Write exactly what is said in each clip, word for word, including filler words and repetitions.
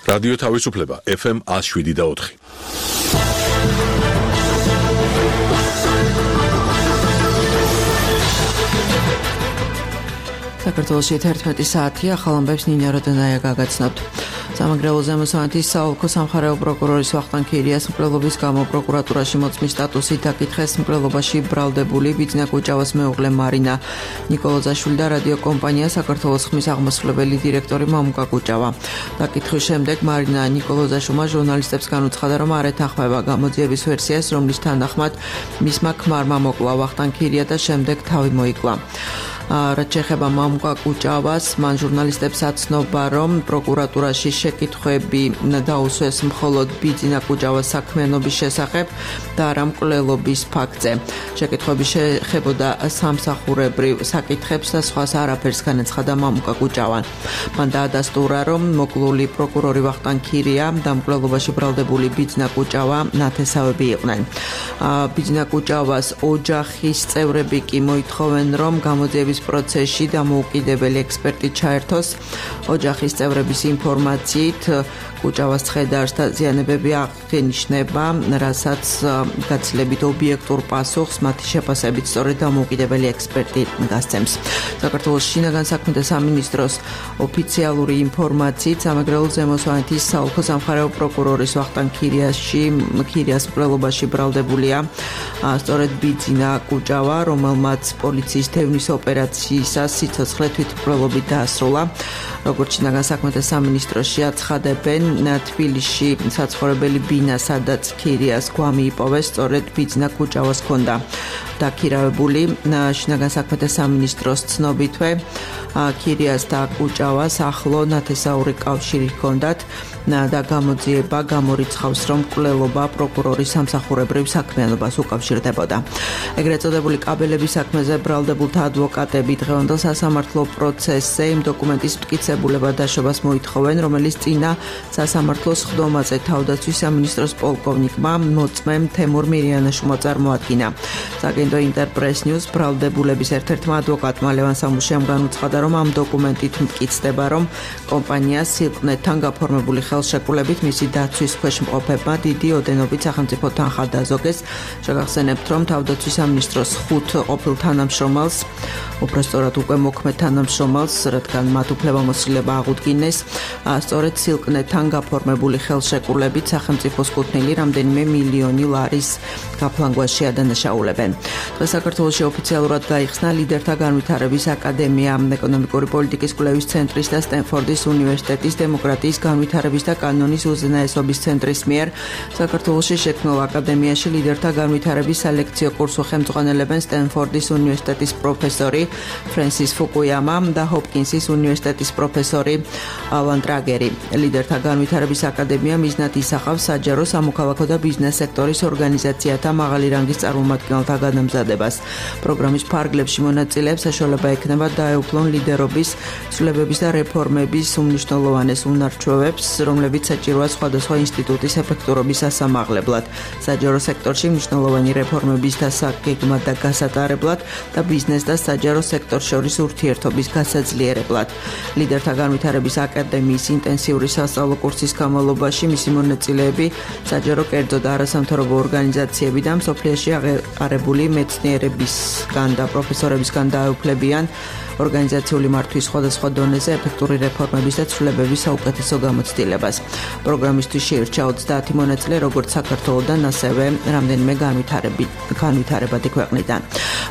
რადიო თავისუფლება ეფ ემ one oh seven და four. საქართველოში ერთმეტი საათია, ახალ ამბებს ნინო როდონაია გაგაცნობთ. სამაგრელო ზემოსვანეთის საოლქო სამხარეო პროკურორის ვახტანგ ქირიას მკვლელობის გამო პროკურატურაში მოწმის სტატუსით დაკითხეს მკვლელობაში ბრალდებული ბიძინა კუჭავას მეუღლე მარინა ნიკოლოზაშვილი და რადიოკომპანია საქართველოს ხმის აღმასრულებელი დირექტორი მამუკა კუჭავა. დაკითხვის შემდეგ მარინა ნიკოლოზაშვილმა ჟურნალისტებს განუცხადა, რომ არ ეთანხმება გამოძიების ვერსიას, რომლის თანახმად მისმა ქმარმა მოკლა ვახტანგ ქირია და შემდეგ თავი მოიკლა. რაც შეეხება მამუკა კუჭავას, მან ჟურნალისტებს აცნობა, რომ პროკურატურაში შეკითხვები დაუსვეს მხოლოდ ბიძინა კუჭავას საქმიანობის შესახებ და არა მკვლელობის ფაქტზე. შეკითხვები შეეხებოდა სამსახურებრივ საკითხებს და სხვას არაფერს განაცხადა მამუკა კუჭავამ. მან დაადასტურა, რომ მოკლული პროკურორი ვახტანგ ქირია და მკვლელობაში ბრალდებული ბიძინა კუჭავა ნათესავები იყვნენ. ბიძინა კუჭავას ოჯახის წევრები კი მოითხოვენ, რომ გამოძიების პროცესში დამოუკიდებელი ექსპერტი ჩაერთოს. ოჯახის წევრების ინფორმაციით კუჭავას ცხედარს და ზიანებები აღენიშნება, რასაც გაცილებით ობიექტურ პასუხს მათი შეფასებით სწორედ დამოუკიდებელი ექსპერტი გასცემს. საქართველოს შინაგან საქმეთა სამინისტროს ოფიციალური ინფორმაციით სამეგრელო ზემოსვანეთის საოლქო სამხარეო პროკურორის ვახტანგ ქირიაში ქირიას მკვლელობაში ბრალდებულია სწორედ ბიძინა კუჭავა, რომელმაც პოლიციის თევნის ოპერაციისას სიცოცხლე თვითმკვლელობით დაასრულა. როგორც შინაგან საქმეთა სამინისტროში აცხადებენ, თბილისში საცხოვრებელი ბინა, სადაც ქირიას გვამი იპოვეს, სწორედ ბიძინა კუჭავას ჰქონდა დაქირავებული. შინაგან საქმეთა სამინისტროს ცნობითვე ქირიას და კუჭავას ახლო ნათესაური კავშირი ჰქონდათ და გამოძიება გამორიცხავს, რომ მკვლელობა პროკურორის სამსახურებრივ საქმიანობას უკავშირდებოდა. ეგრეთ წოდებული კაბელების საქმეზე ბრალდებულთა ადვოკატები დღევანდელ სასამართლო პროცესზე იმ დოკუმენტის მტკიცებულება დაშობას მოითხოვენ, რომელიც წინა სასამართლოს ხდომაზე თავდაცვის სამინისტროს პოლკოვნიკმა მოწმემ თემურ მირიანაშვილმა წარმოადგინა. საგენდო ინტერპრეს ნიუს ბრალდებულების ერთ-ერთმა ადვოკატმა ლევან სამუშიამ განუცხადა, რომ ამ დოკუმენტით მტკიცდება, რომ კომპანია სილყნეთთან გაფორმებული ხელშეკრულებით მისი დაცვის ქვეშ მყოფებმა დიდი ოდენობით სახელმწიფო თანხა დაზოგეს. შეგახსენებთ, რომ თავდაცვის სამინისტროს ხუთ ყოფილ თანამშრომელს, უბრალოდ უკვე მოქმედ თანამშრომელს, რადგან მათ უფლებამოსილება აღუდგინეს, სწორედ სილყნეთთან გაფორმებული ხელშეკრულებით სახელმწიფოს კუთვნილი რამდენიმე მილიონი ლარის გაფლანგვაში ადანაშაულებენ. დღეს საქართველოში ოფიციალურად გაიხსნა ლიდერთა განვითარების აკადემია, ეკონომიკური პოლიტიკის კვლევის ცენტრის და სტენფორდის უნივერსიტეტის დემოკრატიის განვითარების და კანონის უზენაესობის ცენტრის მიერ საქართველოში შექმნილ აკადემიაში ლიდერთა განვითარების სალექციო კურსს ხელმძღვანელებენ სტენფორდის უნივერსიტეტის პროფესორი ფრენსის ფუკუიამა და ჰოპკინსის უნივერსიტეტის პროფესორი ალან ტრაგერი. ლიდერთა განვითარების აკადემია მიზნად ისახავს საჯარო, სამოქალაქო და ბიზნეს სექტორის ორგანიზაციათა მაღალი რანგის წარმომადგენელთა განამზადებას. პროგრამის ფარგლებში მონაწილეებს საშუალება ექნება დაეუფლონ ლიდერობის, ცვლილებების და რეფორმების უმნიშვნელოვანეს უნარჩვევებს, რომლებიც საჭიროა სხვადასხვა ინსტიტუტის ეფექტურობის ასამაღლებლად, საჯარო სექტორში მნიშვნელოვანი რეფორმების დასაგეგმად და გასატარებლად და ბიზნეს და საჯარო სექტორ შორის ურთიერთობის გასაძლიერებლად. ლიდერთა განვითარების აკადემიის ინტენსიური სასწავლო კურსის განმავლობაში მისი მონაწილეები საჯარო კერძო და არასამთავრობო ორგანიზაციები და მსოფლიოში აღიარებული მეცნიერებისგან და პროფესორებისგან დაეუფლებიან ორგანიზაციული მართვის სხვადასხვა დონეზე ეფექტური რეფორმების და ცვლილებების საუკეთესო გამოცდილებას. პროგრამისთვის შეირჩა ოცდაათი მონაწილე, როგორც საქართველოდან, ასევე რამდენიმე განვითარებადი ქვეყნიდან.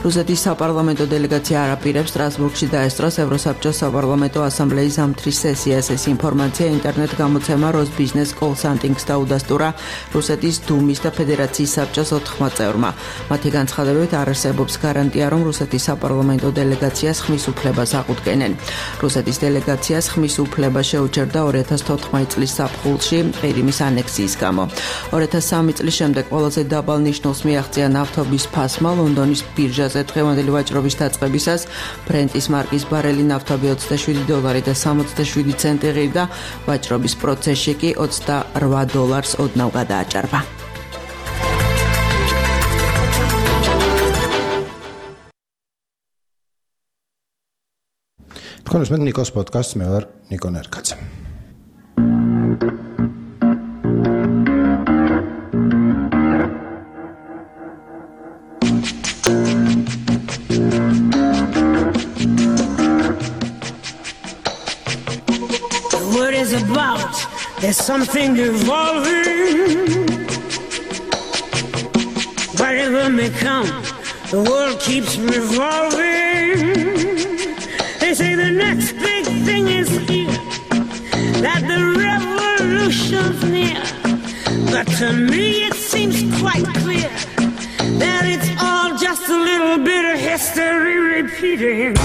რუსეთის საპარლამენტო დელეგაცია არაპირებს სტრასბურგში დაესწროს ევროსაბჭოს საპარლამენტო ასამბლეის ზამთრის სესიას. ეს ინფორმაცია ინტერნეტ გამოცემა როსბიზნეს კონსალტინგს დაუდასტურა რუსეთის დუმის და ფედერაციის საბჭოს ოთხმა წევრმა. მათი განცხადებებით არ არსებობს გარანტია, რომ რუსეთის საპარლამენტო დელეგაციას ხმის უფლებას აღუდგენენ. რუსეთის დელეგაციას ხმის უფლება შეუჩერდა ორი ათას თოთხმეტი წლის ზაფხულში ყირიმის ანექსიის გამო. ორი ათას სამი წლის შემდეგ ყველაზე დაბალ ნიშნულს მიაღწია ნავთობის ფასმა ლონდონის ბირჟაზე დღევანდელი ვაჭრობის დაწყებისას ბრენტის მარკის ბარელი ნავთობი ოცდაშვიდი დოლარი და სამოცდაშვიდი ცენტი ღირდა, ვაჭრობის პროცესში კი ოცდარვა დოლარს ოდნავ გადააჭარბა. თქვენ უსმენთ ნიკოს პოდკასტს, მე ვარ ნიკო ნერკაძე. What is about? There's something evolving. Whatever may come, the world keeps revolving. They say the next big thing is here, that the revolution's near. But to me it seems quite clear that it's all just a little bit of history repeating.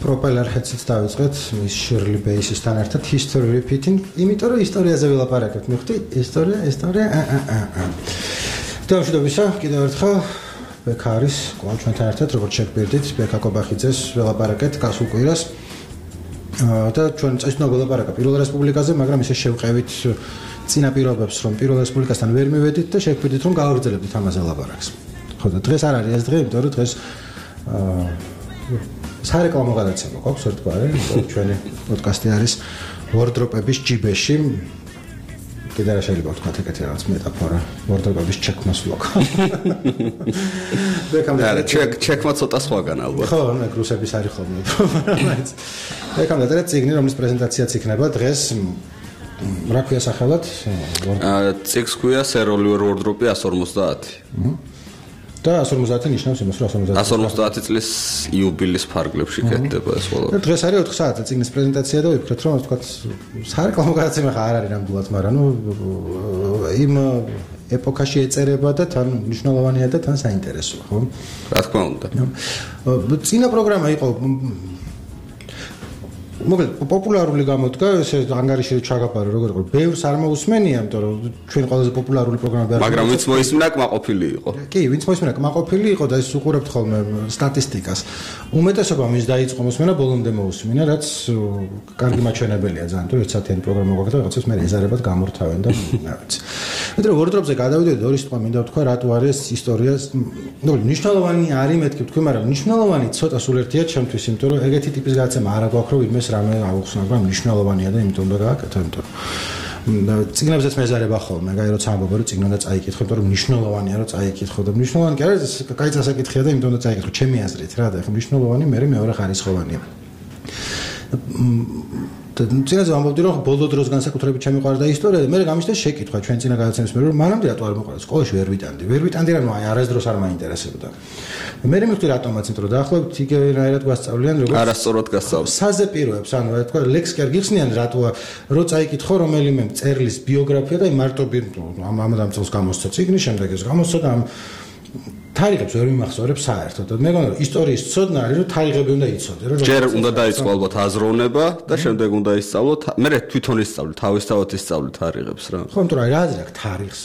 პროპელერ ჰედსიც დავიწყეთ მის შირლი ბეისისთან ერთად history repeating, იმიტომ რომ ისტორიაზე ვილაპარაკებთ. მივხვდი, ისტორია, ისტორია. დავშვიდობისა, კიდევ ერთხელ ბექა არის კვლავ ჩვენთან ერთად, როგორც შეგვირდით, ბექა კობახიძეს ვილაპარაკეთ გასულ კვირას. და ჩვენ წესნა ვილაპარაკა პირველ რესპუბლიკაზე, მაგრამ ისე შევყევით წინა პირობებს, რომ პირველ რესპუბლიკასთან ვერ მივედით და შეგვირდით, რომ გავაგრძელებდით ამაზე ლაპარაკს. ხო და დღეს არ არის ეს დღე, იმიტომ რომ დღეს სარეკლამო გადაცემა გვაქვს ერთგვარი, ჩვენი პოდკასტი არის ვორდროპების ჯიბეში. კიდე რა შეიძლება ვთქვათ ეგეთი რაღაც მეტაფორა, ვორდროპების ჩექმასვლოკ. ბეკამდე ჩეკ ჩექმა ცოტა სხვაგან ალბათ. ხო, მე რუსების არის ხოლმე პრობლემაც. ბეკამდე და ციგნი, რომლის პრეზენტაციაც იქნება დღეს რა ქვია სახელად? ციგს ქვია სეროლი ვორდროპი εκατს ორმოცდაათი. და εκατს ორმოცდაათი ნიშნავს იმას, რომ εκατს ორმოცდაათი წლის იუბილის ფარგლებში კეთდება ეს ყველაფერი. და დღეს არის ოთხ საათზე ციგნის პრეზენტაცია და ვიფიქრეთ, რომ თქვა სარეკლამო გადაცემა ხა არ არის ნამდვილად, მაგრამ ნუ იმ ეპოქაში ეწერება და თან მნიშვნელოვანია და თან საინტერესოა, ხო? რა თქმა უნდა. წინა პროგრამა იყო მოკლედ პოპულარული გამოდგა, ესე ანგარიში ჩაგაბარო, როგორ იყო, ბევრს არ მოусმენია, იმიტომ რომ ჩვენ ყველაზე პოპულარული პროგრამები არის. მაგრამ ვინც მოისმინა, კმაყოფილი იყო. კი, ვინც მოისმინა, კმაყოფილი იყო და ეს უყურებთ ხოლმე სტატისტიკას. უმეტესობა მის დაიწყო მოსმენა ბოლომდე მოусმინა, რაც კარგი მაჩვენებელია ძალიან, თუ ერთსათიანი პროგრამა გვაქვს და რაღაცას მე ეზარებად გამორთავენ და რა ვიცი. მეტყვი ვორდროპზე გადავიდეთ, ორი სიტყვა მინდა ვთქვა, რატო არის ისტორიას, ნუ მნიშვნელოვანი არის მეთქი ვთქვი, მაგრამ მნიშვნელოვანი ცოტა სულ ერთია ჩემთვის, იმიტომ რომ ეგეთი ტიპის გადაცემა არ აქვს, რომ ვინმეს რამე აუხსნა, მაგრამ მნიშვნელოვანია და იმიტომ უნდა გააკეთო, იმიტომ რომ ციგნებზეც მეზარება ხოლმე, აი როცა ამბობ რომ ციგნი უნდა წაიკითხო, იმიტომ რომ მნიშვნელოვანია რომ წაიკითხო და მნიშვნელოვანი კი არის, კაი წასაკითხია და იმიტომ უნდა წაიკითხო, ჩემი აზრით რა და ეხლა მნიშვნელოვანი მე მეორე ხარისხოვანია. და წინაზე ამბობდი რომ ბოლო დროს განსაკუთრებით შემიყვარდა ისტორია და მე გამიშთა შეკითხვა ჩვენ წინა გადაცემის მე რომ მანამდე რატო არ მოყვარდა სკოლაში ვერ ვიტანდი ვერ ვიტანდი რა ნუ აი არასდროს არ მაინტერესებდა მე მივხვდი რატომაც იმიტომ რომ დაახლოებით იგივენაირად გვასწავლიან როგორც არასწორად გასწავლეს საზე პიროებს ანუ რა თქვა ლექს კი არ გიხსნიან რატო რო წაიკითხო რომელიმე მწერლის ბიოგრაფია და მარტო ამ ამ დამწელს გამოსცა ციგნი შემდეგ ეს გამოსცა და ამ თარიღებს ვერ მიმახსოვრებ საერთოდ. მე მგონი რომ ისტორიის ცოდნა არის რომ თარიღები უნდა იცოდე, რომ ჯერ უნდა დაიწყო ალბათ აზროვნება და შემდეგ უნდა ისწავლო. მე თვითონ ისწავლე, თავისთავად ისწავლე თარიღებს რა. ხო, იმიტომ რომ რა აზრი აქვს თარიღს?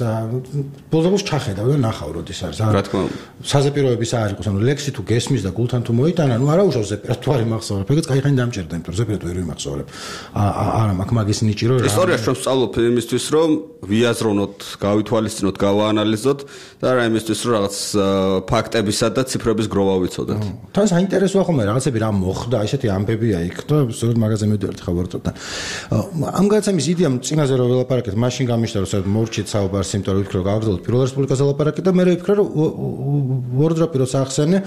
ბოლოს ჩახედავ და ნახავ როდის არის. რა თქმა უნდა. საზეპიროების არ იყოს, ანუ ლექსი თუ გესმის და გულთან თუ მოიტანა, ნუ არა უშავს ზეპირად თუ არ იმახსოვრებ. ეგეც кайხანი დამჭერდა, იმიტომ რომ ზეპირად ვერ ვიმახსოვრებ. არა, მაგ მაგის ნიჭი რომ ისტორიას ჩვენ ვსწავლობ იმისთვის, რომ ვიაზროვნოთ, გავითვალისწინოთ, გავაანალიზოთ და რა იმისთვის, რომ რაღაც ფაქტებისა და ციფრების გროვა ვიცოდეთ. თან საინტერესოა ხოლმე რაღაცები რა მოხდა, ესეთი ამბებია იქ და სწორედ მაგაზე მივდივართ ხა ვორდროპთან. ამ გადაცემის იდეამ წინაზე რომ ველაპარაკეთ, მაშინ გამიშთა რომ საერთოდ მორჩით საუბარს, იმიტომ რომ ვფიქრე რომ გავაგრძელოთ პირველ რესპუბლიკაზე ლაპარაკი და მე ვფიქრე რომ ვორდროპი როცა ახსენე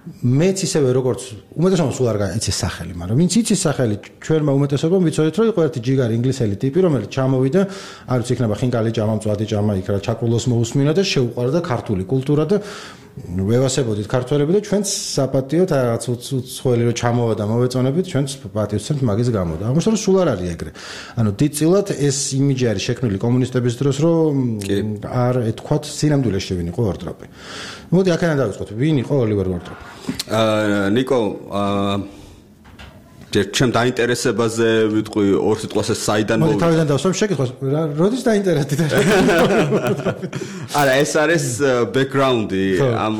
მეც ისევე როგორც უმეტესობა სულ არ გაიცის სახელი, მაგრამ ვინც იცის სახელი, ჩვენმა უმეტესობამ ვიცოდით, რომ იყო ერთი ჯიგარი ინგლისელი ტიპი, რომელიც ჩამოვიდა, არ ვიცი, იქნება ხინკალი ჭამა, მწვადი ჭამა, იქ რა ჩაკულოს მოусმინა და შეუყვარდა ქართული კულტურა და ვევასებოდით ქართველები და ჩვენც საპატიოდ რაღაც უცხოელი რომ ჩამოვა და მოვეწონებით, ჩვენც პატივს ვცემთ მაგის გამო და აღმოჩნდა რომ სულ არ არის ეგრე. ანუ დიდწილად ეს იმიჯი არის შექმნილი კომუნისტების დროს, რომ არ ეთქვათ სინამდვილეში შევინიყო ვორდროპი. მოდი აქედან დავიწყოთ, ვინ იყო ოლივერ ვორდროპი? აა ნიკო აა ჩემ დაინტერესებაზე ვიტყვი ორ სიტყვას ეს საიდან მოდი თავიდან დავსვამ შეკითხვას როდის დაინტერესდი და არა ეს არის ბექგრაუნდი ამ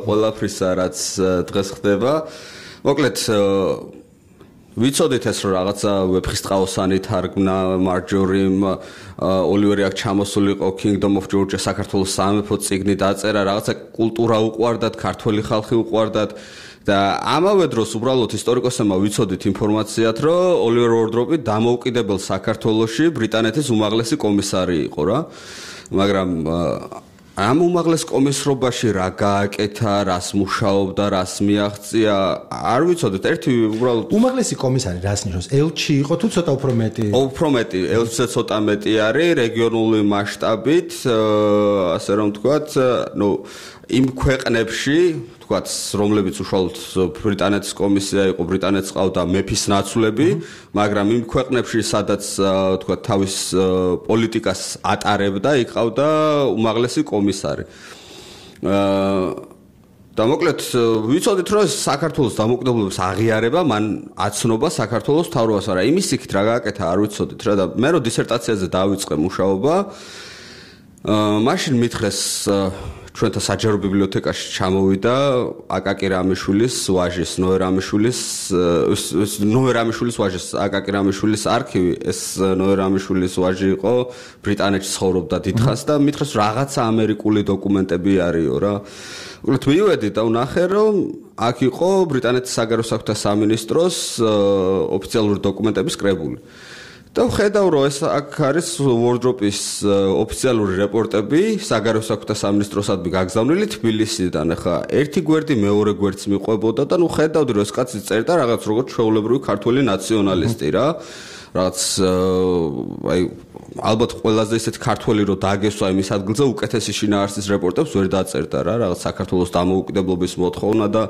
ყველაფრისა რაც დღეს ხდება მოკლედ ვიცოდით ეს რომ რაღაცა ვეფხისტყაოსანი თარგმნა მარჯორიმ ოლივერი აქ ჩამოსულიყო Kingdom of Georgia საქართველოს სამეფო წიგნი დაწერა რაღაცა კულტურა უყვარდათ ქართველი ხალხი უყვარდათ და ამავე დროს უბრალოდ ისტორიკოსებმა ვიცოდით ინფორმაციათ რომ ოლივერ ვორდროპი დამოუკიდებელ საქართველოში ბრიტანეთის უმაღლესი კომისარი იყო რა მაგრამ ამ უმაღლეს კომისრობაში რა გააკეთა, რას მუშაობდა, რას მიაღწია, არ ვიცოდეთ, ერთი უბრალოდ უმაღლესი კომისარი რას ნიშნავს? ელჩი იყო თუ ცოტა უფრო მეტი? უფრო მეტი, ელჩზე ცოტა მეტი არის რეგიონული მასშტაბით, ასე რომ ვთქვათ, ნუ იმ ქვეყნებში, ვთქვათ, რომლებიც უშუალოდ ბრიტანეთის კომისია იყო, ბრიტანეთს ყავდა მეფის ნაცვლები, მაგრამ იმ ქვეყნებში, სადაც ვთქვათ, თავის პოლიტიკას ატარებდა, იქ ყავდა უმაღლესი კომისარი. და მოკლედ ვიცოდით, რომ საქართველოს დამოუკიდებლობის აღიარება მან აცნობა საქართველოს მთავრობას, არა იმის იქით რა გააკეთა, არ ვიცოდით რა და მე რო დისერტაციაზე დავიწყე მუშაობა, მაშინ მითხრეს ჩვენთა საჯარო ბიბლიოთეკაში ჩამოვიდა აკაკი რამიშვილის ვაჟის ნოე რამიშვილის ნოე რამიშვილის ვაჟის აკაკი რამიშვილის არქივი ეს ნოე რამიშვილის ვაჟი იყო ბრიტანეთში ცხოვრობდა დიდხანს და მითხრეს რაღაცა ამერიკული დოკუმენტები არისო რა უბრალოდ მივედი და ვნახე რომ აქ იყო ბრიტანეთის საგარეო საქმეთა სამინისტროს ოფიციალური დოკუმენტების კრებული და ვხედავ რომ ეს აქ არის ვორდროპის ოფიციალური რეპორტები საგარეო საქმეთა სამინისტროსადმი გაგზავნილი თბილისიდან ახლა ერთი გვერდი მეორე გვერდს მიყვებოდა და ნუ ხედავდი რომ ეს კაცი წერდა რაღაც როგორც ჩვეულებრივი ქართველი ნაციონალისტი რა რაც აი ალბათ ყველაზე ისეთ ქართველი რო დაგესვა იმის ადგილზე უკეთესი შინაარსის რეპორტებს ვერ დაწერდა რა რაღაც საქართველოს დამოუკიდებლობის მოთხოვნა და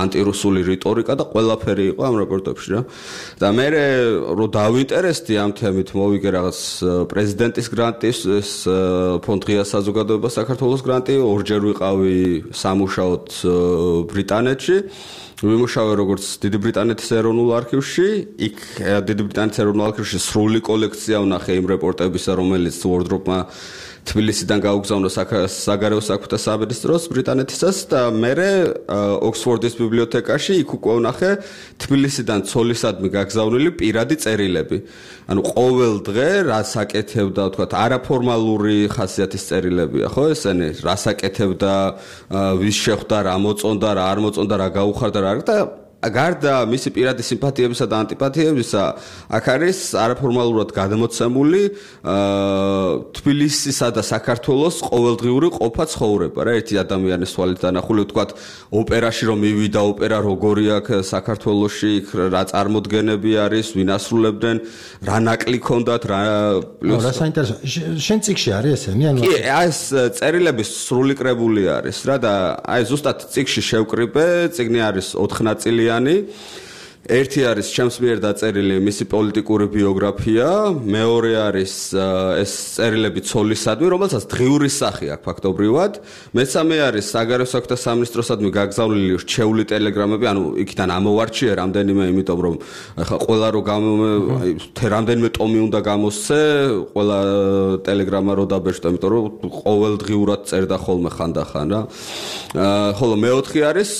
ანტირუსული რიტორიკა და ყველაფერი იყო ამ რეპორტებში რა და მე რო დავინტერესდი ამ თემით მოვიგე რაღაც პრეზიდენტის გრანტის ეს ფონდ ღია საზოგადოება საქართველოს გრანტი ორჯერ ვიყავი სამუშაოდ ბრიტანეთში ვიმუშავე როგორც დიდი ბრიტანეთის ეროვნულ არქივში, იქ დიდი ბრიტანეთის ეროვნულ არქივში სრული კოლექცია ვნახე იმ რეპორტებისა, რომელიც ვორდროპმა თბილისიდან გაუგზავნა საგარეო საქმეთა სამინისტროს ბრიტანეთისას და მერე ოქსფორდის ბიბლიოთეკაში იქ უკვე ვნახე თბილისიდან ცოლისადმი გაგზავნილი პირადი წერილები. ანუ ყოველ დღე რას აკეთებდა, ვთქვათ, არაფორმალური ხასიათის წერილებია, ხო, ესენი, რას აკეთებდა, ვის შეხვდა, რა მოწონდა, რა არ მოწონდა, რა გაუხარდა, რა და გარდა მისი პირადი სიმპათიებისა და ანტიპათიებისა, აქ არის არაფორმალურად გადამოცემული თბილისისა და საქართველოს ყოველდღიური ყოფა ცხოვრება, რა, ერთი ადამიანის თვალით დანახული, ვთქვათ, ოპერაში რომ მივიდა, ოპერა როგორი აქვს საქართველოში, რა წარმოდგენები არის, ვინ ასრულებდნენ, რა ნაკლი ქონდათ, რა პლუს რა საინტერესო. შენ წიგში არის ესენი, ანუ კი, ეს წერილების სრული კრებული არის რა და აი ზუსტად წიგში შევკრიბე, წიგნი არის ოთხ ნაწილი ერთი არის ჩემს მიერ დაწერილი მისი პოლიტიკური ბიოგრაფია, მეორე არის ეს წერილები ცოლისადმი, რომელსაც დღიური სახე აქვს ფაქტობრივად, მესამე არის საგარეო საქმეთა სამინისტროსადმი გაგზავნილი რჩეული ტელეგრამები, ანუ იქიდან ამოვარჩიე რამდენიმე, იმიტომ რომ ახლა ყველა რო რამდენიმე ტომი უნდა გამოსცე, ყველა ტელეგრამა რო დაბეჭდა, იმიტომ რომ ყოველდღიურად წერდა ხოლმე ხანდახან რა. ხოლო მეოთხე არის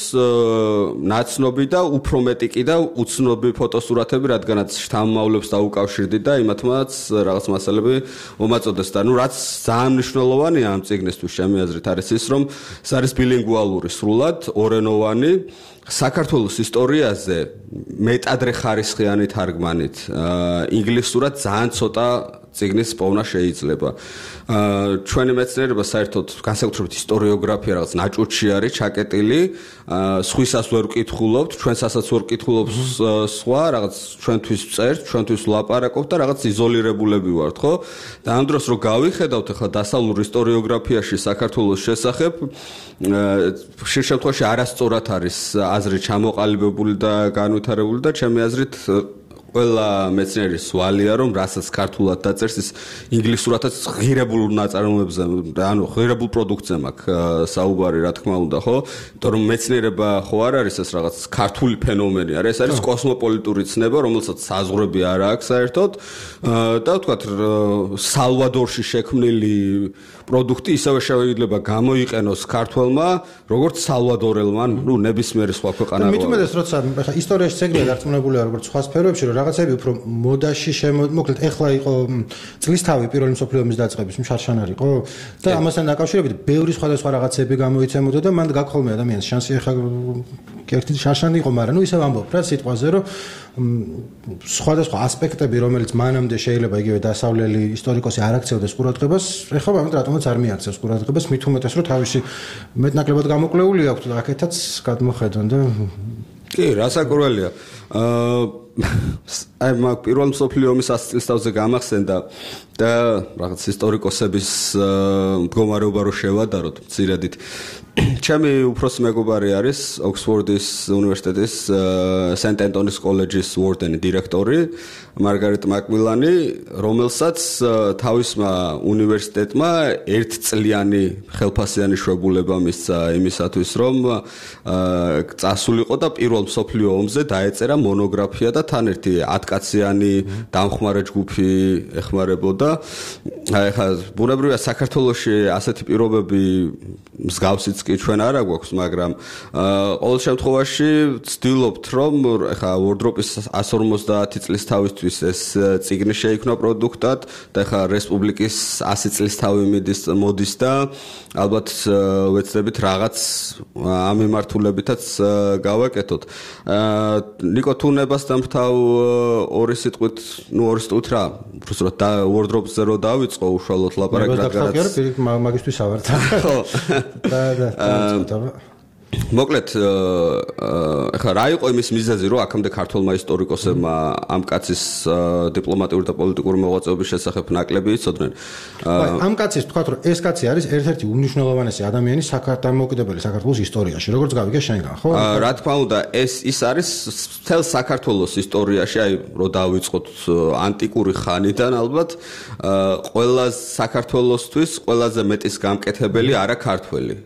ნაცნობი და უფრო მეტი კი და უცნობი ფოტოსურათები, რადგანაც შთამომავლებს დაუკავშირდი და იმათმაც რაღაც მასალები მომაწოდეს და ნუ რაც ძალიან მნიშვნელოვანია ამ წიგნისთვის ჩემი აზრით არის ის, რომ ეს არის ბილინგვალური სრულად, ორენოვანი საქართველოს ისტორიაზე მეტადრე ხარისხიანი თარგმანით, ინგლისურად ძალიან ცოტა წიგნის პოვნა შეიძლება. ჩვენი მეცნიერება საერთოდ განსაკუთრებით ისტორიოგრაფია რაღაც ნაჭუჭი არის ჩაკეტილი, სხვისას ვერ ვკითხულობთ, ჩვენსასაც ვერ ვკითხულობთ სხვა, რაღაც ჩვენთვის წერთ, ჩვენთვის ვლაპარაკობთ და რაღაც იზოლირებულები ვართ, ხო? და ამ დროს რო გავიხედავთ ახლა დასავლურ ისტორიოგრაფიაში საქართველოს შესახებ, ხშირ შემთხვევაში არასწორად არის აზრი ჩამოყალიბებული და განვითარებული და ჩემი აზრით ყველა მეცნიერის ვალია რომ რასაც ქართულად დაწერს ის ინგლისურადაც ღირებულ ნაწარმოებზე ანუ ღირებულ პროდუქტზე მაქვს საუბარი რა თქმა უნდა ხო იმიტომ რომ მეცნიერება ხო არ არის ეს რაღაც ქართული ფენომენი არა ეს არის კოსმოპოლიტური ცნება რომელსაც საზღვრები არ აქვს საერთოდ და ვთქვათ სალვადორში შექმნილი პროდუქტი ისევე შეიძლება გამოიყენოს ქართველმა როგორც სალვადორელმა ნუ ნებისმიერი სხვა ქვეყანა მით უმეტეს როცა ხა ისტორიაში ცეგნია დარწმუნებულია როგორც სხვა სფეროებში რომ რაღაცები უფრო მოდაში მოკლედ ეხლა იყო წლისთავი პირველი მსოფლიო ომის დაწყების მშარშანარი იყო და ამასთან დაკავშირებით ბევრი სხვადასხვა რაღაცები გამოიცემოდა და მან გაგხოლმე ადამიანს შანსი ეხლა ერთი შარშანი იყო, მაგრამ ნუ ისევ ამბობ რა სიტყვაზე, რომ სხვადასხვა ასპექტები, რომელიც მანამდე შეიძლება იგივე დასავლელი ისტორიკოსი არ აქცევდეს ყურადღებას, ეხლა ამით რატომაც არ მიაქცევს ყურადღებას, მით უმეტეს რომ თავისი მეტნაკლებად გამოკვლეული აქვს და აქეთაც გადმოხედონ და კი, რასაკურველია. აა აი მაგ პირველ მსოფლიო ომის ას წელსთავზე გამახსენდა და რაღაც ისტორიკოსების მდგომარეობა რო შევადაროთ მცირედით. ჩემი უფროსი მეგობარი არის ოქსფორდის უნივერსიტეტის სენტ ენტონის კოლეჯის ვორდენი დირექტორი მარგარეტ მაკმილანი, რომელსაც თავისმა უნივერსიტეტმა ერთწლიანი ხელფასიანი შვებულება მისცა იმისათვის, რომ წასულიყო და პირველ მსოფლიო ომზე დაეწერა მონოგრაფია და თან ერთი ათკაციანი დამხმარე ჯგუფი ეხმარებოდა. აი ხა ბუნებრივია საქართველოში ასეთი პირობები მსგავსიც კი ჩვენ არ აგვაქვს, მაგრამ ყოველ შემთხვევაში ვცდილობთ, რომ ხა ვორდროპის ას ორმოცდაათი წლის თავისთვის ეს წიგნი შეიქმნა პროდუქტად და ხა რესპუბლიკის ასი წლის თავი მიდის მოდის და ალბათ ვეცდებით რაღაც ამ მიმართულებითაც გავაკეთოთ. ნიკო თუნებას დამთავ ორი სიტყვით, ნუ ორი სიტყვით რა, უბრალოდ და ვორდროპზე რო დავიწყო უშუალოდ ლაპარაკი რადგანაც მაგისტვის ავართ. ხო. და და მოკლედ ახლა რა იყო იმის მიზეზი, რომ აქამდე ქართულმა ისტორიკოსებმა ამ კაცის დიპლომატიური და პოლიტიკური მოღვაწეობის შესახებ ნაკლები იცოდნენ. ამ კაცის თქვა, რომ ეს კაცი არის ერთ-ერთი უმნიშვნელოვანესი ადამიანი საქართველოს საქართველოს ისტორიაში, როგორც გავიგე შენგან, ხო? რა თქმა უნდა, ეს ის არის მთელ საქართველოს ისტორიაში, აი რო დავიწყოთ ანტიკური ხანიდან ალბათ, ყველა საქართველოსთვის ყველაზე მეტის გამკეთებელი არა ქართველი.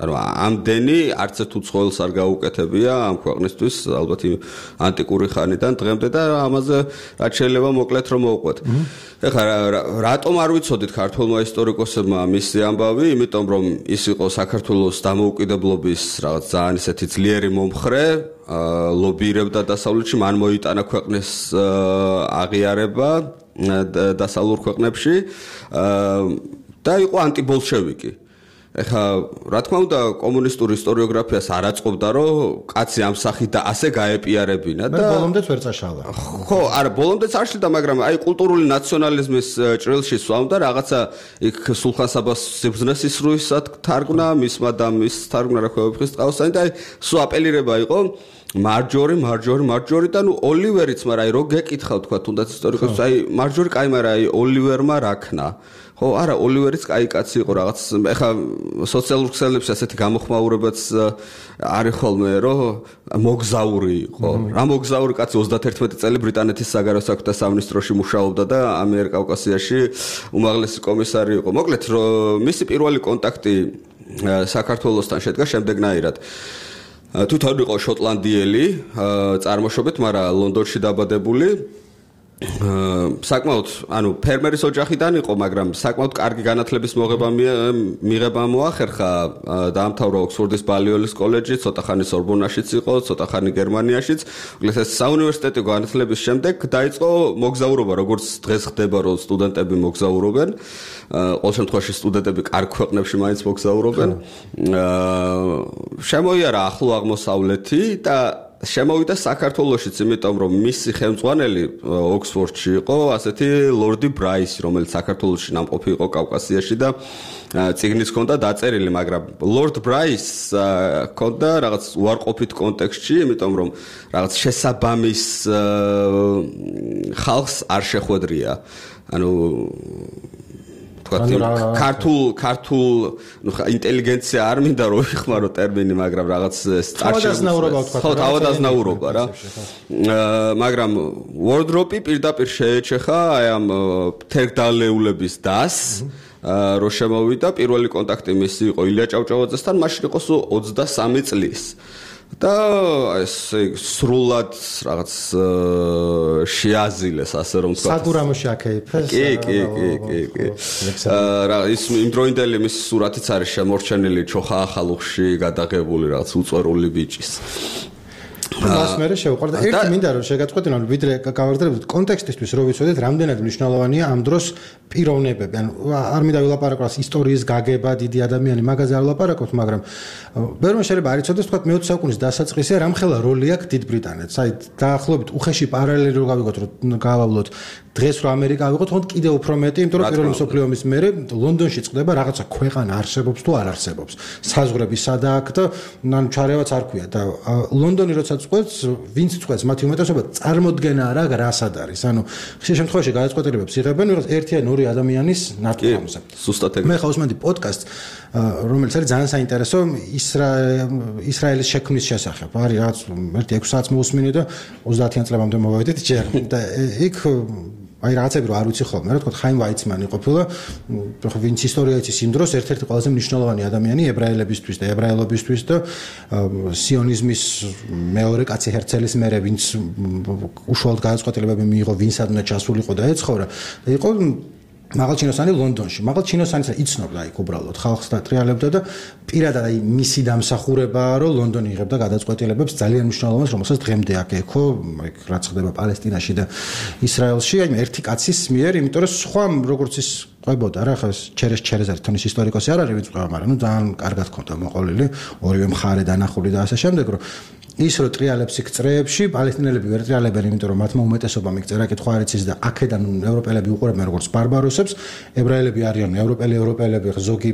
ანუ ამდენი არც ერთ უცხოელს არ გაუკეთებია ამ ქვეყნისთვის ალბათ ანტიკური ხანიდან დღემდე და ამაზე რაც შეიძლება მოკლედ რომ მოვყვეთ. ეხლა რატომ არ ვიცოდით ქართულმა ისტორიკოსებმა მისი ამბავი? იმიტომ რომ ის იყო საქართველოს დამოუკიდებლობის რაღაც ძალიან ისეთი ძლიერი მომხრე, ლობირებდა დასავლეთში, მან მოიტანა ქვეყნის აღიარება დასავლურ ქვეყნებში და იყო ანტიბოლშევიკი. ეხა რა თქმა უნდა კომუნისტური ისტორიოგრაფიას არ აწყობდა რომ კაცი ამ სახით და ასე გაეპიარებინა და ბოლომდეც ვერ წაშალა. ხო, არა, ბოლომდეც არ შლიდა, მაგრამ აი კულტურული ნაციონალიზმის ჭრილში სვამდა რაღაცა იქ სულხან-საბას სიბრძნეს ისრუისად თარგმნა, მისმა და მის თარგმნა რა ქვევიფხის ტყავსანი და აი სულ აპელირება იყო მარჯორი, მარჯორი, მარჯორი და ნუ ოლივერიც, მაგრამ აი რო გეკითხავ თქვა თუნდაც ისტორიკოსს, აი მარჯორი კაი, მაგრამ აი ოლივერმა რა ქნა? ხო, არა, ოლივერიც კაი კაცი იყო რაღაც. ეხა სოციალურ ქსელებში ასეთი გამოხმაურებაც არის ხოლმე, რომ მოგზაური იყო. რა მოგზაური კაცი ოცდაათერთმეტი წელი ბრიტანეთის საგარეო საქმეთა სამინისტროში მუშაობდა და ამიერკავკასიაში უმაღლესი კომისარი იყო. მოკლედ, მისი პირველი კონტაქტი საქართველოსთან შედგა შემდეგნაირად. თვითონ იყო შოტლანდიელი წარმოშობით, მაგრამ ლონდონში დაბადებული. საკმაოდ, ანუ ფერმერის ოჯახიდან იყო, მაგრამ საკმაოდ კარგი განათლების მოღება მიღება მოახერხა, დაამთავრა ოქსფორდის ბალიოლის კოლეჯი, ცოტა ხანი სორბონაშიც იყო, ცოტა ხანი გერმანიაშიც. მოკლედ ეს საუნივერსიტეტო განათლების შემდეგ დაიწყო მოგზაურობა, როგორც დღეს ხდება, რომ სტუდენტები მოგზაურობენ. ყოველ შემთხვევაში სტუდენტები კარგ ქვეყნებში მაინც მოგზაურობენ. შემოიარა ახლო აღმოსავლეთი და შემოვიდა საქართველოშიც, იმიტომ რომ მისი ხელმძღვანელი ოქსფორდში იყო ასეთი ლორდი ბრაისი, რომელიც საქართველოში ნამყოფი იყო კავკასიაში და წიგნიც ჰქონდა დაწერილი, მაგრამ ლორდ ბრაისს ჰქონდა რაღაც უარყოფით კონტექსტში, იმიტომ რომ რაღაც შესაბამის ხალხს არ შეხვედრია. ანუ ქართულ ქართულ ნუ ინტელიგენცია არ მინდა რომ ვიხმარო ტერმინი, მაგრამ რაღაც თავადაზნაურობა თქვა. ხო, თავადაზნაურობა რა. მაგრამ ვორდროპი პირდაპირ შეეჩეხა აი ამ თერგდალეულების დასს, რო შემოვიდა. პირველი კონტაქტი მისი იყო ილია ჭავჭავაძესთან, მაშინ იყო სულ ოცდასამი წლის. და ეს სრულად რაღაც შეაზილეს, ასე რომ ვთქვა. საგურამოში აკეიფეს. კი, კი, კი, კი, კი. რა ის იმდროინდელი მის სურათიც არის შემორჩენილი ჩოხა ახალუხში გადაღებული რაღაც უწვერული ბიჭის. მას მე შევყვარდა ერთი მინდა რომ შეგაწყვეტინო რომ ვიდრე გავაგრძელებთ კონტექსტისთვის რომ ვიცოდეთ რამდენად მნიშვნელოვანია ამ დროს პიროვნებები ანუ არ მინდა ვილაპარაკოს ისტორიის გაგება დიდი ადამიანი მაგაზე არ ვილაპარაკობთ მაგრამ ბევრმა შეიძლება არ იცოდეს თქვა მეოცე საუკუნის დასაწყისზე რამხელა როლი აქვს დიდ ბრიტანეთს აი დაახლოებით უხეში პარალელი რო გავიგოთ რომ გავავლოთ დღეს რო ამერიკა ავიღოთ თქო კიდე უფრო მეტი იმიტომ რომ პირველი მსოფლიო ომის მერე ლონდონში წყდება რაღაცა ქვეყანა არსებობს თუ არ არსებობს საზღვრები სადა აქვს და ნან ჩარევაც არ ქვია და ლონდონი როცა წყვეტს ვინც წყვეტს მათი უმეტესობა წარმოდგენა არა რასად არის ანუ ხშირ შემთხვევაში გადაწყვეტილებებს იღებენ ვიღაც ერთი ან ორი ადამიანის ნათქვამზე ზუსტად ეგრე მე ხავსმენდი პოდკასტ რომელიც არის ძალიან საინტერესო ისრაელის შექმნის შესახებ არის რაღაც ერთი ექვსი საათს მოусმინე და ოცდაათიან წლებამდე მოვავედით ჯერ და იქ აი რაღაცები რო არ ვიცი ხოლმე რა თქო ხაიმ ვაიცმანი ყოფილა ხო ვინც ისტორია იცის იმ დროს ერთ-ერთი ყველაზე მნიშვნელოვანი ადამიანი ებრაელებისთვის და ებრაელობისთვის და სიონიზმის მეორე კაცი ჰერცელის მერე ვინც უშუალოდ გადაწყვეტილებები მიიღო ვინსადმე ჩასულიყო და ეცხოვრა და იყო მაღალჩინოსანი ლონდონში მაღალჩინოსანი იცნობდა იქ უბრალოდ ხალხს და ტრიალებდა და პირადად აი მისი დამსახურებაა რომ ლონდონი იღებდა გადაწყვეტილებებს ძალიან მნიშვნელოვანს რომელსაც დღემდე აქ ეკო აი რაც ხდება პალესტინაში და ისრაელში აი ერთი კაცის მიერ იმიტომ რომ სხვა როგორც ის ყვებოდა რა ხა ჩერეს ჩერეზარი თონის ისტორიკოსი არ არის ვინც ყვება მაგრამ ნუ ძალიან კარგად ქონდა მოყოლილი ორივე მხარე დანახული და ასე შემდეგ რომ ის რო ტრიალებს იქ წრეებში პალესტინელები ვერ ტრიალებენ იმიტომ რომ მათმა უმეტესობამ იქ წერა კითხვა არ იცის და აქედან ევროპელები უყურებენ როგორც ბარბაროსებს ებრაელები არიან ევროპელი ევროპელები ზოგი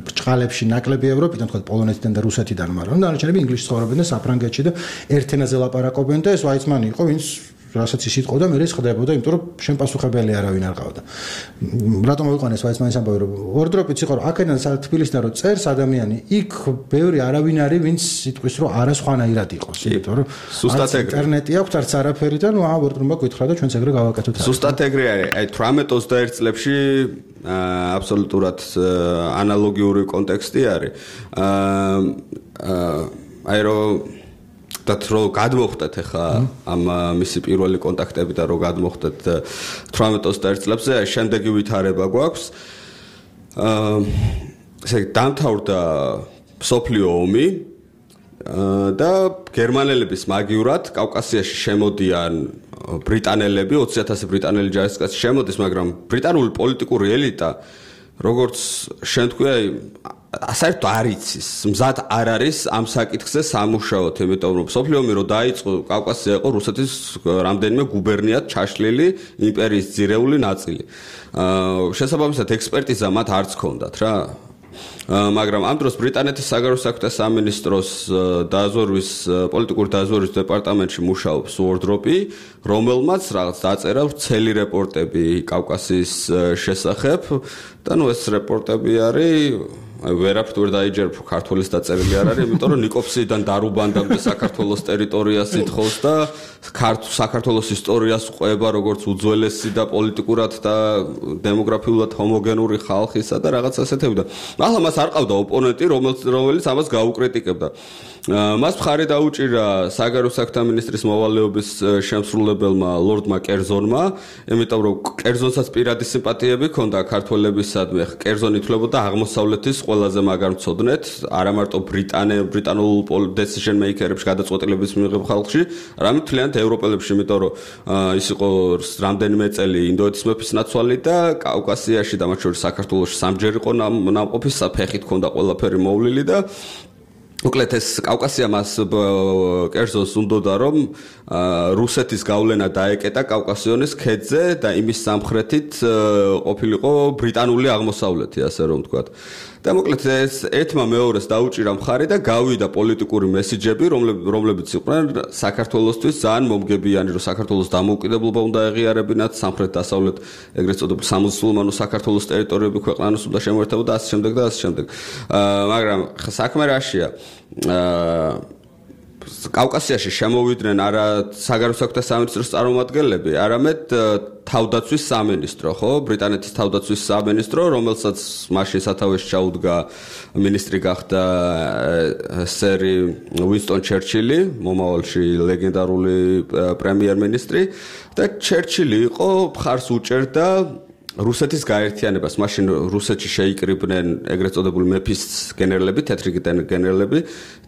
ბრჭყალებში ნაკლები ევროპიდან თქვა პოლონეთიდან და რუსეთიდან მაგრამ დანარჩენები ინგლისში ცხოვრობენ და საფრანგეთში და ერთ ენაზე ლაპარაკობენ და ეს ვაიცმანი იყო ვინც რასაც ის იტყოდა მე ის ხდებოდა იმიტომ რომ შენ პასუხებელი არავინ არ ყავდა რატომ მოიყვანეს ვაიცმანის ამბავი რომ ორდროპიც იყო რომ აქედან თბილისიდან რომ წერს ადამიანი იქ ბევრი არავინ არის ვინც იტყვის რომ არა სხვანაირად იყოს იმიტომ რომ ზუსტად ეგრე ინტერნეტი აქვს არც არაფერი და ნუ აა ორდროპმა გითხრა და ჩვენც ეგრე გავაკეთოთ ზუსტად ეგრე არის აი თვრამეტ ოცდაერთ წლებში აბსოლუტურად ანალოგიური კონტექსტი არის აი რომ და რო გადმოხდეთ ახლა ამ მისი პირველი კონტაქტები და რო გადმოხდეთ თვრამეტ ოცდაერთ წლებზე აი შემდეგი ვითარება გვაქვს აა ესე დამთავრდა მსოფლიო ომი და გერმანელების მაგივრად კავკასიაში შემოდიან ბრიტანელები ოცი ათასი ბრიტანელი ჯარისკაცი შემოდის მაგრამ ბრიტანული პოლიტიკური ელიტა როგორც შენ თქვი აი საერთოდ არ იცის მზად არ არის ამ საკითხზე სამუშაოდ იმიტომ რომ მსოფლიო ომი რო დაიწყო კავკასია იყო რუსეთის რამდენიმე გუბერნიად ჩაშლილი იმპერიის ძირეული ნაწილი აა შესაბამისად ექსპერტიზა მათ არც ჰქონდათ რა მაგრამ ამ დროს ბრიტანეთის საგარეო საქმეთა სამინისტროს დაზვერვის პოლიტიკური დაზვერვის დეპარტამენტში მუშაობს უორდროპი რომელმაც რაღაც დაწერა ვრცელი რეპორტები კავკასიის შესახებ და ნუ ეს რეპორტები არის აი ვერაფრით ვერ დაიჯერებ ქართულის დაწერილი არ არის იმიტომ რომ ნიკოფსიიდან დარუბანდამდე საქართველოს ტერიტორიას ითხოვს და საქართველოს ისტორიას ყვება როგორც უძველესი და პოლიტიკურად და დემოგრაფიულად ჰომოგენური ხალხისა და რაღაც ასეთები და ახლა მას არ ყავდა ოპონენტი რომელიც ამას გაუკრიტიკებდა მას მხარი დაუჭირა საგარეო საქმეთა მინისტრის მოვალეობის შემსრულებელმა ლორდმა კერზონმა იმიტომ რომ კერზონსაც პირადი სიმპათიები ჰქონდა ქართველებისადმი კერზონი ითვლებოდა აღმოსავლეთის ყველაზე მაგარ მცოდნეთ არა მარტო ბრიტანე ბრიტანულ decision maker-ებში გადაწყვეტილების მიღებ ხალხში არამედ მთლიანად ევროპელებში იმიტომ რომ ის იყო რამდენიმე წელი ინდოეთის მეფის ნაცვალი და კავკასიაში და მათ შორის საქართველოში სამჯერ იყო ნამყოფი საფეხით ჰქონდა ყველაფერი მოვლილი და უკლეთ ეს კავკასია მას კერძოს უნდოდა რომ რუსეთის გავლენა დაეკეტა კავკასიონის ქედზე და იმის სამხრეთით ყოფილიყო ბრიტანული აღმოსავლეთი ასე რომ ვთქვათ და მოკლედ ეს ერთმა მეორეს დაუჭირა მხარი და გავიდა პოლიტიკური მესიჯები რომლებიც იყვნენ საქართველოსთვის ძალიან მომგებიანი რომ საქართველოს დამოუკიდებლობა უნდა ეღიარებინათ სამხრეთ დასავლეთ ეგრეთ წოდებულ სამუსულმანო საქართველოს ტერიტორიები ქვეყანას უნდა შემოერთებოდა ასე შემდეგ და ასე შემდეგ მაგრამ საქმე რაშია აა კავკასიაში შემოვიდნენ არა საგარეო საქმეთა სამინისტროს წარმომადგენლები, არამედ თავდაცვის სამინისტრო, ხო? ბრიტანეთის თავდაცვის სამინისტრო, რომელსაც მაშინ სათავეში ჩაუდგა მინისტრი გახდა სერი უინსტონ ჩერჩილი, მომავალში ლეგენდარული პრემიერ-მინისტრი და ჩერჩილი იყო მხარს უჭერდა რუსეთის გაერთიანებას მაშინ რუსეთში შეიკრიბნენ ეგრეთ წოდებული მეფის გენერლები, თეთრი გენერლები,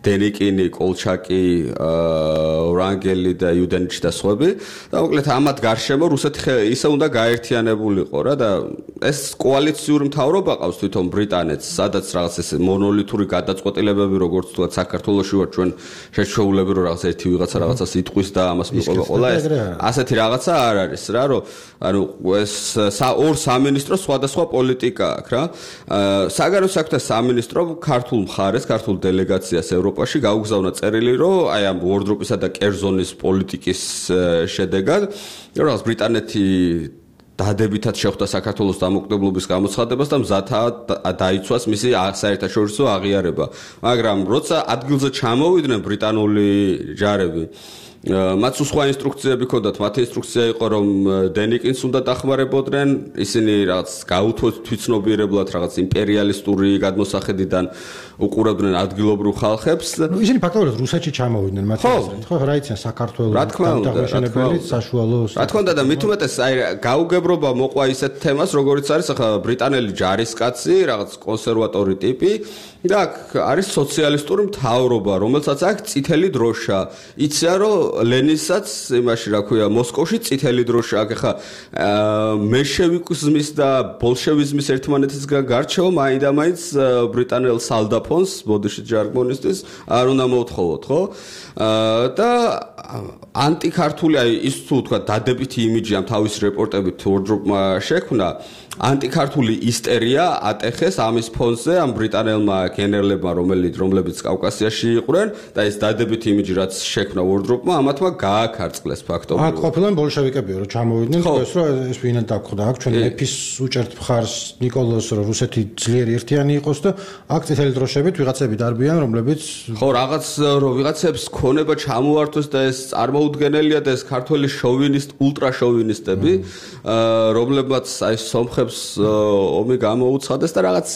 დენიკინი, კოლჩაკი, ვრანგელი და იუდენიჩი და სხვები. და მოკლედ ამათ გარშემო რუსეთი ისე უნდა გაერთიანებულიყო რა და ეს კოალიციური მთავრობა ყავს თვითონ ბრიტანეთს, სადაც რაღაც ეს მონოლითური გადაწყვეტილებები როგორც თქვა საქართველოში ვარ ჩვენ შეჩვეულები რომ რაღაც ერთი ვიღაცა რაღაცას იტყვის და ამას მიყვება ყველა ეს ასეთი რაღაცა არ არის რა რომ ანუ ეს ორ სამინისტრო სხვადასხვა პოლიტიკა აქვს რა. საგარეო საქმეთა სამინისტრო ქართულ მხარეს, ქართულ დელეგაციას ევროპაში გაუგზავნა წერილი, რომ აი ამ უორდროპისა და კერძონის პოლიტიკის შედეგად რაღაც ბრიტანეთი დადებითად შეხვდა საქართველოს დამოუკიდებლობის გამოცხადებას და მზადაა დაიცვას მისი საერთაშორისო აღიარება. მაგრამ როცა ადგილზე ჩამოვიდნენ ბრიტანული ჯარები მათ სხვა ინსტრუქციები ჰქონდათ, მათი ინსტრუქცია იყო რომ დენიკინს უნდა დახმარებოდნენ, ისინი რაღაც გაუთვოთ თვითცნობიერებლად რაღაც იმპერიალისტური გადმოსახედიდან უყურებდნენ ადგილობრივ ხალხებს. ისინი ფაქტობრივად რუსეთში ჩამოვიდნენ მათი აზრით, ხო, რა იციან საქართველოს დამოუკიდებლობის საშუალო. რა თქმა უნდა და მით უმეტეს აი გაუგებრობა მოყვა ისეთ თემას, როგორიც არის ახლა ბრიტანელი ჯარისკაცი, რაღაც კონსერვატორი ტიპი და აქ არის სოციალისტური მთავრობა, რომელსაც აქვს წითელი დროშა. იციან რომ ლენინსაც იმაში რა ქვია მოსკოვში წითელი დროშა აქვს. ახლა მენშევიკიზმის და ბოლშევიზმის ერთმანეთისგან გარჩევა მაინდამაინც ბრიტანელ სალდაფონს, ბოდიში ჟარგონისტის არ უნდა მოთხოვოთ, ხო? და ანტიქართული აი ის თუ თქვა დადებითი იმიჯი ამ თავის რეპორტებით ვორდროპმა შექმნა, ანტიქართული ისტერია ატეხეს ამის ფონზე ამ ბრიტანელმა გენერლებმა, რომელიც რომლებიც კავკასიაში იყვნენ და ეს დადებითი იმიჯი რაც შექმნა ვორდროპმა, ამათმა გააქარწყლეს ფაქტობრივად. აქ ყოფილან ბოლშევიკები რომ ჩამოვიდნენ, ეს რომ ეს ვინად დაგხვდა, აქ ჩვენ მეფის უჭერთ მხარს ნიკოლოზს რომ რუსეთი ძლიერი ერთიანი იყოს და აქ წითელი დროშებით ვიღაცები დარბიან, რომლებიც ხო რაღაც რომ ვიღაცებს ქონება ჩამოართვეს და ეს წარმოუდგენელია და ეს ქართველი შოვინისტ, ულტრა შოვინისტები, რომლებმაც აი სომხებს ომი გამოუცხადეს და რაღაც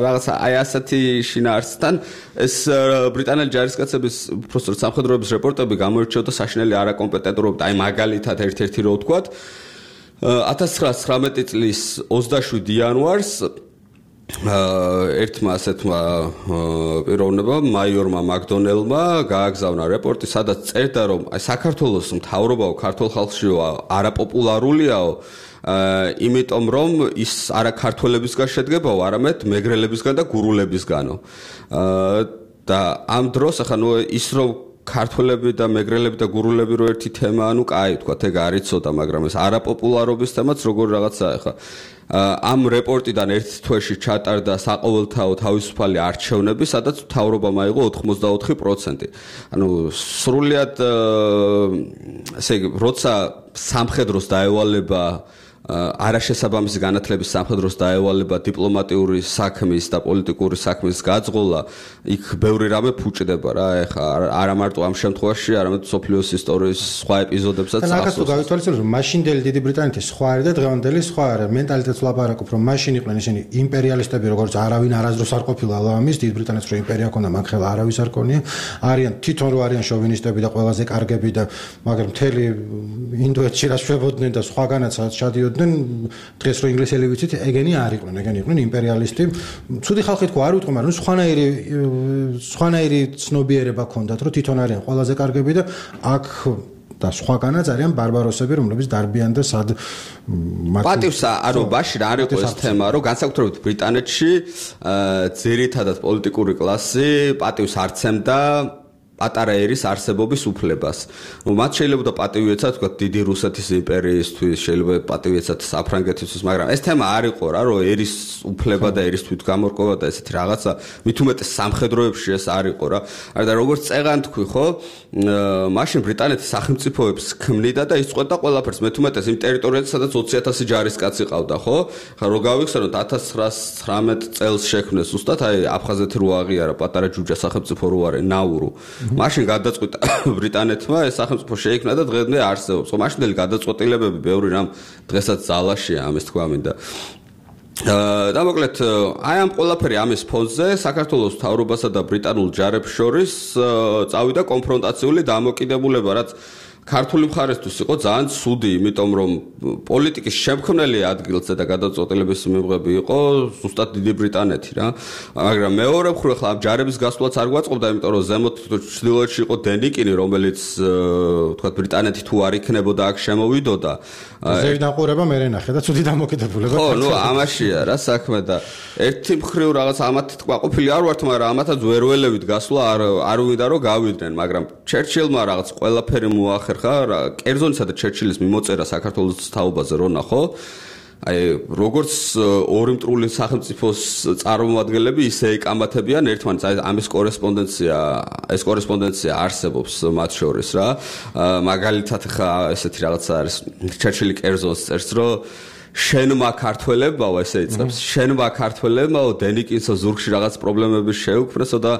რაღაც აი ასეთი შინაარსთან ეს ბრიტანელი ჯარისკაცების უბრალოდ სამხედროების რეპორტები გამოირჩეოდა საშინელი არაკომპეტენტურობით. აი მაგალითად ერთ-ერთი რო ვთქვათ ათას ცხრაასი ცხრამეტი წლის ოცდაშვიდი იანვარს ერთმა ასეთმა პიროვნებამ მაიორმა მაკდონელმა გააგზავნა რეპორტი, სადაც წერდა რომ აი საქართველოს მთავრობაო ქართულ ხალხშიო არაპოპულარულიაო იმიტომ რომ ის არა ქართველებისგან შედგებაო, არამედ მეგრელებისგან და გურულებისგანო. და ამ დროს ახლა ნუ ის რომ ქართველები და მეგრელები და გურულები რო ერთი თემა, ანუ კაი თქვათ, ეგ არ იცოდა, მაგრამ ეს არაპოპულარობის თემაც როგორ რაღაცაა ახლა. ამ რეპორტიდან ერთ თვეში ჩატარდა საყოველთაო თავისუფალი არჩევნები, სადაც მთავრობამ აიღო ოთხმოცდაოთხი პროცენტი. ანუ სრულიად ესე იგი, როცა სამხედროს დაევალება არაშესაბამისი განათლების სამხედროს დაევალება დიპლომატიური საქმის და პოლიტიკური საქმის გაძღოლა, იქ ბევრი რამე ფუჭდება რა, ეხა არა მარტო ამ შემთხვევაში, არამედ სოფლიოს ისტორიის სხვა ეპიზოდებსაც ახსოვს. და ნახეთ გავითვალისწინოთ, რომ მაშინდელი დიდი ბრიტანეთის სხვა არის და დღევანდელი სხვა არის. მენტალიტეტს ვლაპარაკობ, რომ მაშინ იყვნენ ისინი იმპერიალისტები, როგორც არავინ არასდროს არ ყოფილა ამის, დიდ ბრიტანეთს რო იმპერია ჰქონდა, მან ხელა არავის არ ქონია. არიან თვითონ რო არიან შოვინისტები და ყველაზე კარგები და მაგრამ მთელი ინდოეთში რა შვებოდნენ და სხვაგანაც ჩადიოდნენ დღეს რო ინგლისელი ვიცით, ეგენი არ იყვნენ, ეგენი იყვნენ იმპერიალისტი. ცუდი ხალხი თქვა არ ვიტყვი, მაგრამ სხვანაირი სხვანაირი ცნობიერება ჰქონდათ, რომ თვითონ არიან ყველაზე კარგები და აქ და სხვაგანაც არიან ბარბაროსები, რომლებიც დარბიან და სად პატივს ანუ ბაში რა არ იყო ეს თემა, რომ განსაკუთრებით ბრიტანეთში ძირითადად პოლიტიკური კლასი პატივს არცემდა პატარა ერის არსებობის უფლებას. ნუ მათ შეიძლება პატივი ეცათ, თქვა დიდი რუსეთის იმპერიისთვის, შეიძლება პატივი ეცათ საფრანგეთისთვის, მაგრამ ეს თემა არ იყო რა, რომ ერის უფლება და ერის თვითგამორკვევა და ესეთი რაღაცა, მით უმეტეს სამხედროებში ეს არ იყო რა. და როგორც წეღან თქვი, ხო, მაშინ ბრიტანეთის სახელმწიფოებს ქმნიდა და იწყვეტდა ყველაფერს, მით უმეტეს იმ ტერიტორიაზე, სადაც ოცი ათასი ჯარისკაცი ყავდა, ხო? ხა რო გავიხსენოთ ათას ცხრაასი ცხრამეტ წელს შექმნეს უბრალოდ აი აფხაზეთი რო აღიარა პატარა ჯუჯა სახელმწიფო რო არის ნაურუ. მაშინ გადაწყვიტა ბრიტანეთმა ეს სახელმწიფო შეიქმნა და დღემდე არსებობს. ხო, მაშინდელი გადაწყვეტილებები ბევრი რამ დღესაც ძალაშია, ამის თქვა მინდა. და მოკლედ აი ამ ყველაფერი ამის ფონზე საქართველოს მთავრობასა და ბრიტანულ ჯარებს შორის წავიდა კონფრონტაციული დამოკიდებულება, რაც ქართული მხარესთვის იყო ძალიან ცუდი, იმიტომ რომ პოლიტიკის შემქმნელი ადგილზე და გადაწყვეტილების მიღები იყო ზუსტად დიდი ბრიტანეთი რა. მაგრამ მეორე მხრივ ახლა ამ ჯარების გასვლაც არ გვაწყობდა, იმიტომ რომ ზემოთ ჩრდილოეთში იყო დენიკინი, რომელიც თქვა ბრიტანეთი თუ არ იქნებოდა აქ შემოვიდოდა. ზევიდან ყურება მე ნახე და ცუდი დამოკიდებულება. ხო, ნუ ამაშია რა საქმე და ერთი მხრივ რაღაც ამათ ყვაყოფილი არ ვართ, მაგრამ ამათაც ვერ ველევით გასვლა არ არ ვიდა რომ გავიდნენ, მაგრამ ჩერჩილმა რაღაც ყველაფერი მოახერხა, კერძონისა და ჩერჩილის მიმოწერა საქართველოს თაობაზე რო ნახო. აი როგორც ორი მტრული სახელმწიფოს წარმომადგენლები ისე ეკამათებიან ერთმანეთს, აი ამის კორესპონდენცია, ეს კორესპონდენცია არსებობს მათ შორის რა. მაგალითად ხა ესეთი რაღაცა არის ჩერჩილი კერძონს წერს, რომ შენმა ქართველებმაო ესე იწებს შენმა ქართველებმაო დენიკინსო ზურგში რაღაც პრობლემები შეუქმნესო და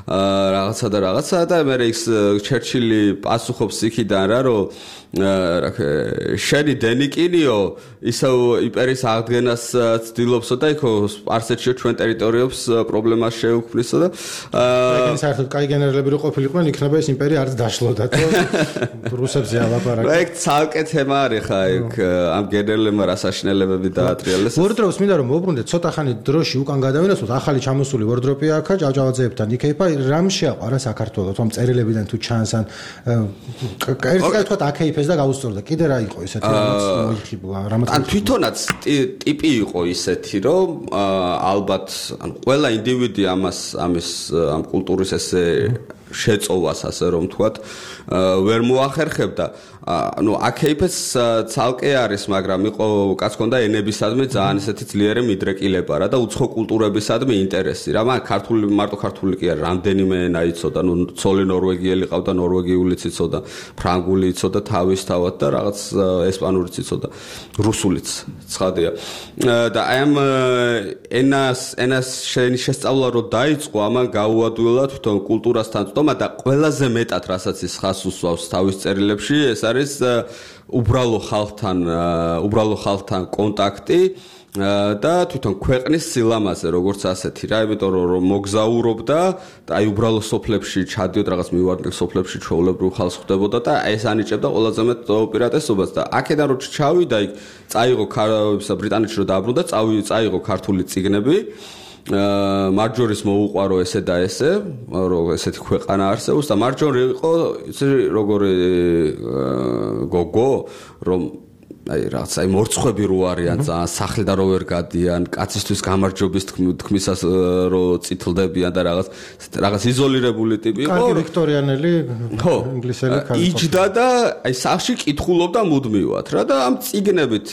რაღაცა და რაღაცა და მე ის ჩერჩილი პასუხობს იქიდან რა რომ შენი დენიკინიო ისევ იმპერიის აღდგენას ცდილობსო და იქო სპარსეთში ჩვენ ტერიტორიებს პრობლემას შეუქმნისო და ეგენი საერთოდ კაი გენერლები რო ყოფილიყვნენ იქნება ეს იმპერია არც დაშლოდა თო რუსებზე ალაპარაკი ეგ ცალკე თემა არის ხა ეგ ამ გენერლებმა რასაშინელებები დაატრიალეს ვორდროპს მინდა რომ მოუბრუნდეთ ცოტა ხანი დროში უკან გადავინაცვლოთ ახალი ჩამოსული ვორდროპია აქა ჭავჭავაძეებთან იქეიფა რამ შეაყარა საქართველოს ამ წერილებიდან თუ ჩანს ან ერთი კაც თქვა აქეიფეს და გაუსწორდა კიდე რა იყო ესეთი რაღაც მოიხიბლა რამაც ან თვითონაც ტიპი იყო ისეთი რომ ალბათ ან ყველა ინდივიდი ამას ამის ამ კულტურის ესე შეწოვას ასე რომ თქვათ ვერ მოახერხებდა ну აქეიფეს ცალკე არის მაგრამ იყო კაც ქონდა ენებისადმი ძალიან ესეთი ძლიერი მიდრეკილება რა და უცხო კულტურებისადმი ინტერესი რა მაგრამ ქართული მარტო ქართული კი არ რამდენიმე ენა იცოდა ну ცოლი ნორვეგიელი ყავდა ნორვეგიულიც იცოდა ფრანგული იცოდა თავისთავად და რაღაც ესპანურიც იცოდა რუსულიც ცხადია და აი ამ ენას ენას შესწავლა რო დაიწყო ამან გაუადვილა თვითონ კულტურასთან თომა და ყველაზე მეტად რასაც ის ხას უსვავს თავის წერილებში ეს არის უბრალო ხალხთან უბრალო ხალხთან კონტაქტი და თვითონ ქვეყნის სილამაზე როგორც ასეთი რა იმიტომ რომ მოგზაურობდა და აი უბრალო სოფლებში ჩადიოდ რაღაც მივარდნილ სოფლებში ჩვეულებრივ ხალხს ხვდებოდა და ეს ანიჭებდა ყველაზე მეტ უპირატესობას და აქედან რო ჩავიდა იქ წაიღო ბრიტანეთში რო დაბრუნდა წაიღო ქართული წიგნები მარჯორის მოუყვარო ესე და ესე, რომ ესეთი ქვეყანა არსებობს და მარჯორი იყო იცი როგორი გოგო, რომ აი რაღაც აი მორცხვები რო არიან ძალიან სახლიდან რო ვერ გადიან, კაცისთვის გამარჯვების თქმისას რო წითლდებიან და რაღაც რაღაც იზოლირებული ტიპი იყო. კარგი ვიქტორიანელი ინგლისელი ქალი. იჯდა და აი სახლში კითხულობდა მუდმივად რა და ამ წიგნებით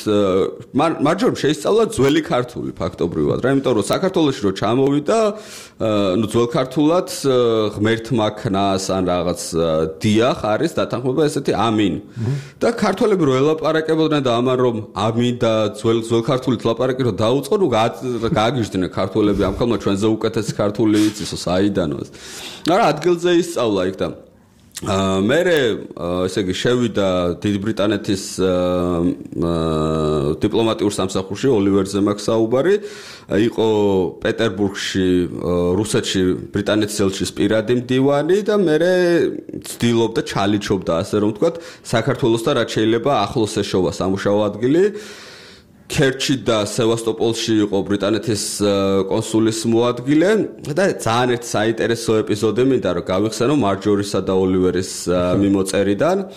მარჯორ შეისწავლა ძველი ქართული ფაქტობრივად რა, იმიტომ რომ საქართველოში რო ჩამოვიდა, ну ძველ ქართულად ღმერთმა ქნას ან რაღაც დიახ არის დათანხმება ესეთი ამინ. და ქართველები რო ელაპარაკებოდნენ და ამან რომ ამინ და ძველ ძველ ქართულით ლაპარაკი რომ დაუწყო, ნუ გააგიჟდნენ ქართველები ამ ხალხმა ჩვენზე უკეთესი ქართული იცისო საიდანოს. არა ადგილზე ისწავლა იქ და მე ესე იგი შევიდა დიდ ბრიტანეთის დიპლომატიურ სამსახურში ოლივერზე მაქვს საუბარი იყო პეტერბურგში რუსეთში ბრიტანეთის ელჩის პირადი მდივანი და მე ცდილობდა ჩალიჩობდა ასე რომ ვთქვათ საქართველოსთან რაც შეიძლება ახლოს ეშოვა სამუშაო ადგილი ქერჩი და სევასტოპოლში იყო ბრიტანეთის კონსულის მოადგილე და ძალიან ერთი საინტერესო ეპიზოდი მინდა რომ გავიხსენო მარჯორისა და ოლივერის მიმოწერიდან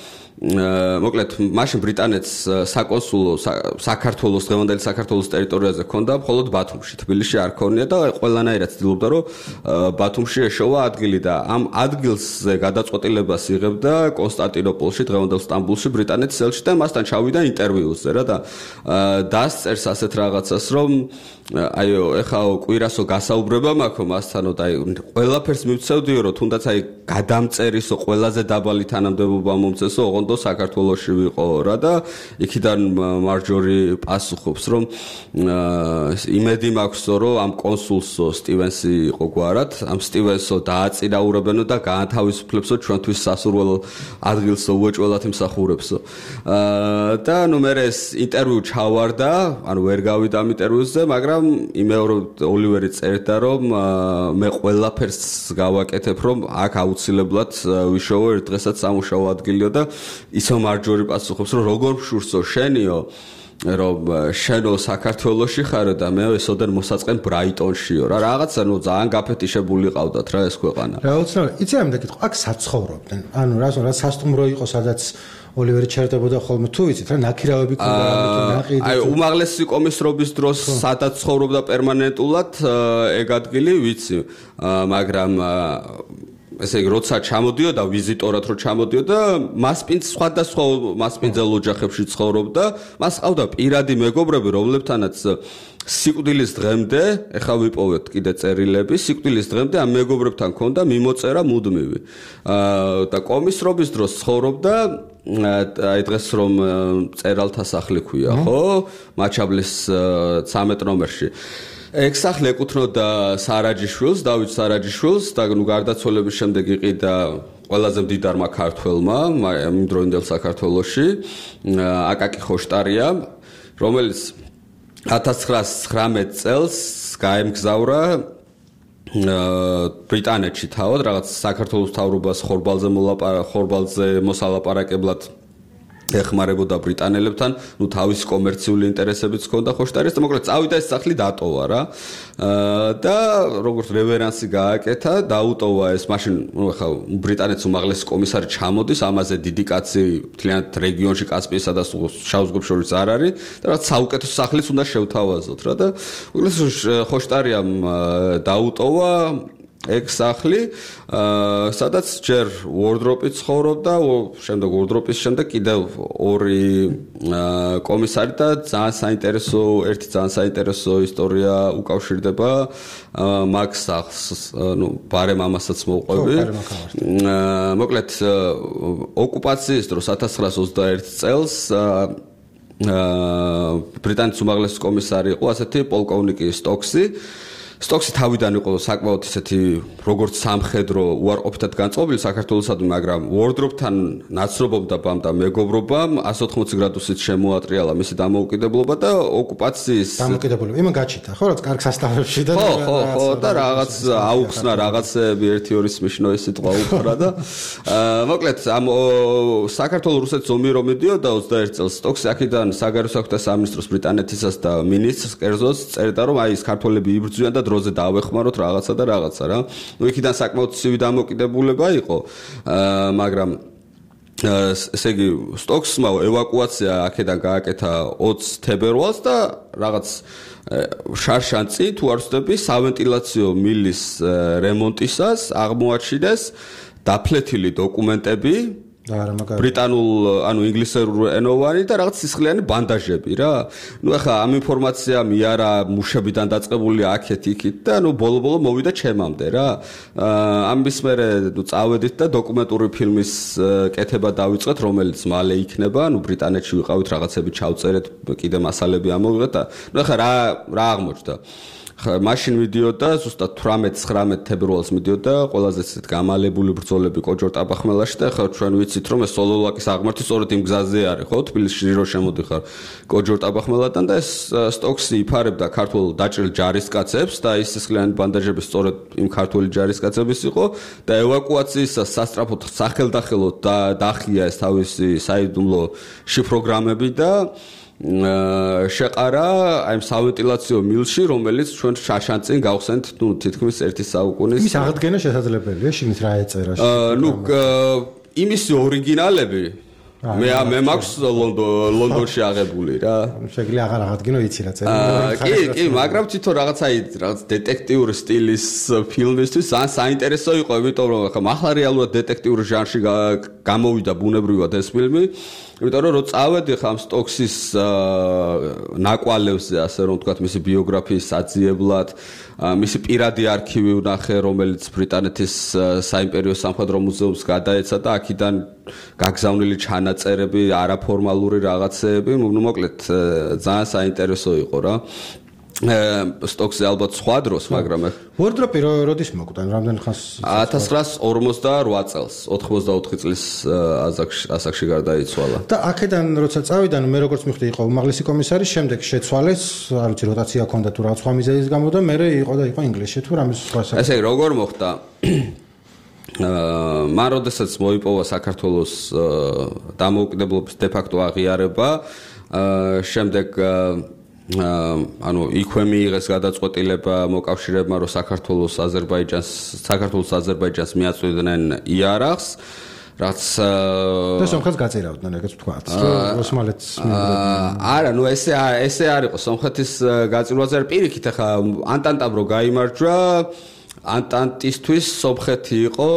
მოკლედ მაშინ ბრიტანეთს საკონსულო საქართველოს დღევანდელი საქართველოს ტერიტორიაზე ჰქონდა მხოლოდ ბათუმში თბილისში არ ქონია და ყველანაირად ცდილობდა რომ ბათუმში ეშოვა ადგილი და ამ ადგილზე გადაწყვეტილებას იღებდა კონსტანტინოპოლში დღევანდელ სტამბულში ბრიტანეთის ელჩი და მასთან ჩავიდა ინტერვიუზე რა და დასწერს ასეთ რაღაცას რომ აიო ეხლა კვირასო გასაუბრება მაქვს მასთანო და აი ყველაფერს მივცევდიო რომ თუნდაც აი გადამწერისო ყველაზე დაბალი თანამდებობა მომწესო ოღონდ საქართველოში ვიყო რა და იქიდან მარჯორი პასუხობს რომ იმედი მაქვსო რომ ამ კონსულსო სტივენსი იყო გვარად ამ სტივენსო დააწინაურებენო და გაანთავისუფლებსო ჩვენთვის სასურველ ადგილსო უეჭველად იმსახურებსო და ნუ მე ეს ინტერვიუ ჩავარდა ანუ ვერ გავიდა ამ ინტერვიუზე მაგრამ მაგრამ იმეორო ოლივერი წერდა რომ მე ყველაფერს გავაკეთებ რომ აქ აუცილებლად ვიშოვო ერთ დღესაც სამუშაო ადგილიო და ისო მარჯვერი პასუხობს რომ როგორ შურსო შენიო რომ შენო საქართველოში ხარო და მე ესოდან მოსაწყენ ბრაიტონშიო რა რაღაცა ნუ ძალიან გაფეთიშებული ყავდათ რა ეს ქვეყანა რა უცნაური იცი ამ და კითხო აქ საცხოვრობდნენ ანუ რა რა სასტუმრო იყო სადაც ოლივერი ჩერდებოდა ხოლმე თუ ვიცით რა ნაქირავები ქონდა რამე ნაყიდი აი უმაღლესი კომისრობის დროს სადაც ცხოვრობდა პერმანენტულად ეგ ადგილი ვიცი მაგრამ ესე იგი როცა ჩამოდიოდა ვიზიტორად რო ჩამოდიოდა მასპინძ სხვადასხვა მასპინძელ ოჯახებში ცხოვრობდა მას ყავდა პირადი მეგობრები რომლებთანაც სიკვდილის დღემდე ეხლა ვიპოვეთ კიდე წერილები სიკვდილის დღემდე ამ მეგობრებთან ქონდა მიმოწერა მუდმივი და კომისრობის დროს ცხოვრობდა აი დღეს რომ წერალთა სახლი ქვია ხო მაჩაბლის ცამეტ ნომერში ეგ სახლი ეკუთვნოდა სარაჯიშვილს დავით სარაჯიშვილს და ნუ გარდაცვალების შემდეგ იყიდა ყველაზე მდიდარმა ქართველმა იმ დროინდელ საქართველოში აკაკი ხოშტარია რომელიც ათას ცხრაას ცხრამეტ წელს გაემგზავრა ბრიტანეთში თავად რაღაც საქართველოს მთავრობას ხორბალზე მოლაპარაკ ხორბალზე მოსალაპარაკებლად ეხმარებოდა ბრიტანელებთან, ნუ თავის კომერციული ინტერესებიც ჰქონდა ხოშტარის და მოკლედ წავიდა ეს სახლი დატოვა რა. და როგორც რევერანსი გააკეთა, დაუტოვა ეს მაშინ, ნუ ხა ბრიტანეთის უმაღლესი კომისარი ჩამოდის, ამაზე დიდი კაცი მთლიანად რეგიონში კასპიესა და შავ ზღვებს შორის არ არის და რაც საუკეთესო სახლის უნდა შევთავაზოთ რა და მოკლედ ხოშტარიამ დაუტოვა ეგ სახლი, სადაც ჯერ ვორდროპი ცხოვრობდა, შემდეგ ვორდროპის შემდეგ კიდევ ორი კომისარი და ძალიან საინტერესო, ერთი ძალიან საინტერესო ისტორია უკავშირდება მაგ სახლს, ნუ ბარემ ამასაც მოვყვები. მოკლედ ოკუპაციის დროს ათას ცხრაას ოცდაერთი წელს ბრიტანეთის უმაღლესი კომისარი იყო ასეთი პოლკოვნიკი სტოქსი. სტოქსი თავიდან იყო საკმაოდ ისეთი როგორც სამხედრო უარყოფითად განწყობილი საქართველოსადმი, მაგრამ ვორდროპთან ნაცნობობამ და მეგობრობამ εκατს ოთხმოცი გრადუსით შემოატრიალა მისი დამოუკიდებლობა და ოკუპაციის დამოუკიდებლობა. იმან გაჩიტა, ხო, რაც კარგ სასტავებში და ხო, ხო, ხო, და რაღაც აუხსნა რაღაცები ერთი ორი სმიშნო ეს სიტყვა უთხრა და მოკლედ ამ საქართველოს რუსეთის ომი რომ მიდიოდა ოცდაერთი წელს სტოქსი აქედან საგარეო საქმეთა სამინისტროს ბრიტანეთისას და მინისტრს კერძოს წერდა რომ აი ეს ქართველები იბრძვიან და დროზე დაავეხმაროთ რაღაცა და რაღაცა რა. ნუ იქიდან საკმაოდ ცივი დამოკიდებულება იყო, მაგრამ ესე იგი სტოქსმა ევაკუაცია აქედან გააკეთა ოცი თებერვალს და რაღაც შარშანწი თუ არ ვცდები სავენტილაციო მილის რემონტისას აღმოაჩინეს დაფლეთილი დოკუმენტები ბრიტანულ, ანუ ინგლისურ ენოვანი და რაღაც სისხლიანი ბანდაჟები რა. ნუ ახლა ამ ინფორმაცია მიარა მუშებიდან დაწყებული აქეთ იქით და ნუ ბოლო-ბოლო მოვიდა ჩემამდე რა. ამის მერე ნუ წავედით და დოკუმენტური ფილმის კეთება დავიწყეთ, რომელიც მალე იქნება, ნუ ბრიტანეთში ვიყავით რაღაცები ჩავწერეთ, კიდე მასალები ამოვიღეთ და ნუ ახლა რა რა აღმოჩნდა. მაშინ მიდიოდა ზუსტად თვრამეტ ცხრამეტ თებერვალს მიდიოდა ყველაზე ისეთ გამალებული ბრძოლები კოჯორ ტაბახმელაში და ახლა ჩვენ ვიცით რომ ეს სოლოლაკის აღმართი სწორედ იმ გზაზე არის ხო თბილისში რო შემოდიხარ კოჯორ ტაბახმელთან და ეს სტოქსი იფარებდა ქართულ დაჭრილ ჯარისკაცებს და ის სისხლიანი ბანდაჟები სწორედ იმ ქართული ჯარისკაცების იყო და ევაკუაციისას სასტრაფოდ სახელდახელოდ დახია ეს თავისი საიდუმლო შიფროგრამები და შეყარა აი ამ სავენტილაციო მილში, რომელიც ჩვენ შაშანწინ გავხსენთ, ნუ თითქმის ერთი საუკუნის. ის აღდგენა შესაძლებელია, შინით რა ეწერა? ნუ იმისი ორიგინალები მე მე მაქვს ლონდონში აღებული რა. შეგვიძლია აღარ აღადგინო იცი რა წერა. კი, კი, მაგრამ თვითონ რაღაცა რაღაც დეტექტიური სტილის ფილმისთვის ძალიან საინტერესო იყო, იმიტომ რომ ხა ახლა რეალურად დეტექტიური ჟანრში გამოვიდა ბუნებრივად ეს ფილმი. იმიტომ რომ რო წავედი ხა ამ სტოქსის ნაკვალევზე, ასე რომ ვთქვათ, მისი ბიოგრაფიის საძიებლად, მისი პირადი არქივი ვნახე, რომელიც ბრიტანეთის საიმპერიო სამხედრო მუზეუმს გადაეცა და აქედან გაგზავნილი ჩანაწერები, არაფორმალური რაღაცეები, ნუ მოკლედ ძალიან საინტერესო იყო რა. სტოკზე ალბათ სხვა დროს, მაგრამ ვორდროპი როდის მოკვდა? რამდენ ხანს? ათას ცხრაას ორმოცდაოთხ წელს, ოთხმოცდაოთხი წლის ასაკში გარდაიცვალა. და აქედან როცა წავიდა, მე როგორც მივხვდი, იყო უმაღლესი კომისარი, შემდეგ შეცვალეს, არ ვიცი, როტაცია ჰქონდა თუ რაღაც სხვა მიზეზის გამო და მე იყო და იყო ინგლისში თუ რამე სხვა საკითხი. ესე იგი, როგორ მოხდა? აა მან როდესაც მოიპოვა საქართველოს დამოუკიდებლობის დე-ფაქტო აღიარება, აა შემდეგ ანუ იქვე მიიღეს გადაწყვეტილება მოკავშირეებმა, რომ საქართველოს აზერბაიჯანს საქართველოს აზერბაიჯანს მიაწვდიდნენ იარაღს, რაც და სომხეთს გაწირავდნენ, ეგეც ვთქვათ, ოსმალეთს არა, ნუ ესე ესე არ იყო სომხეთის გაწირვაზე, პირიქით ახლა ანტანტამ რო გაიმარჯვა, ანტანტისთვის სომხეთი იყო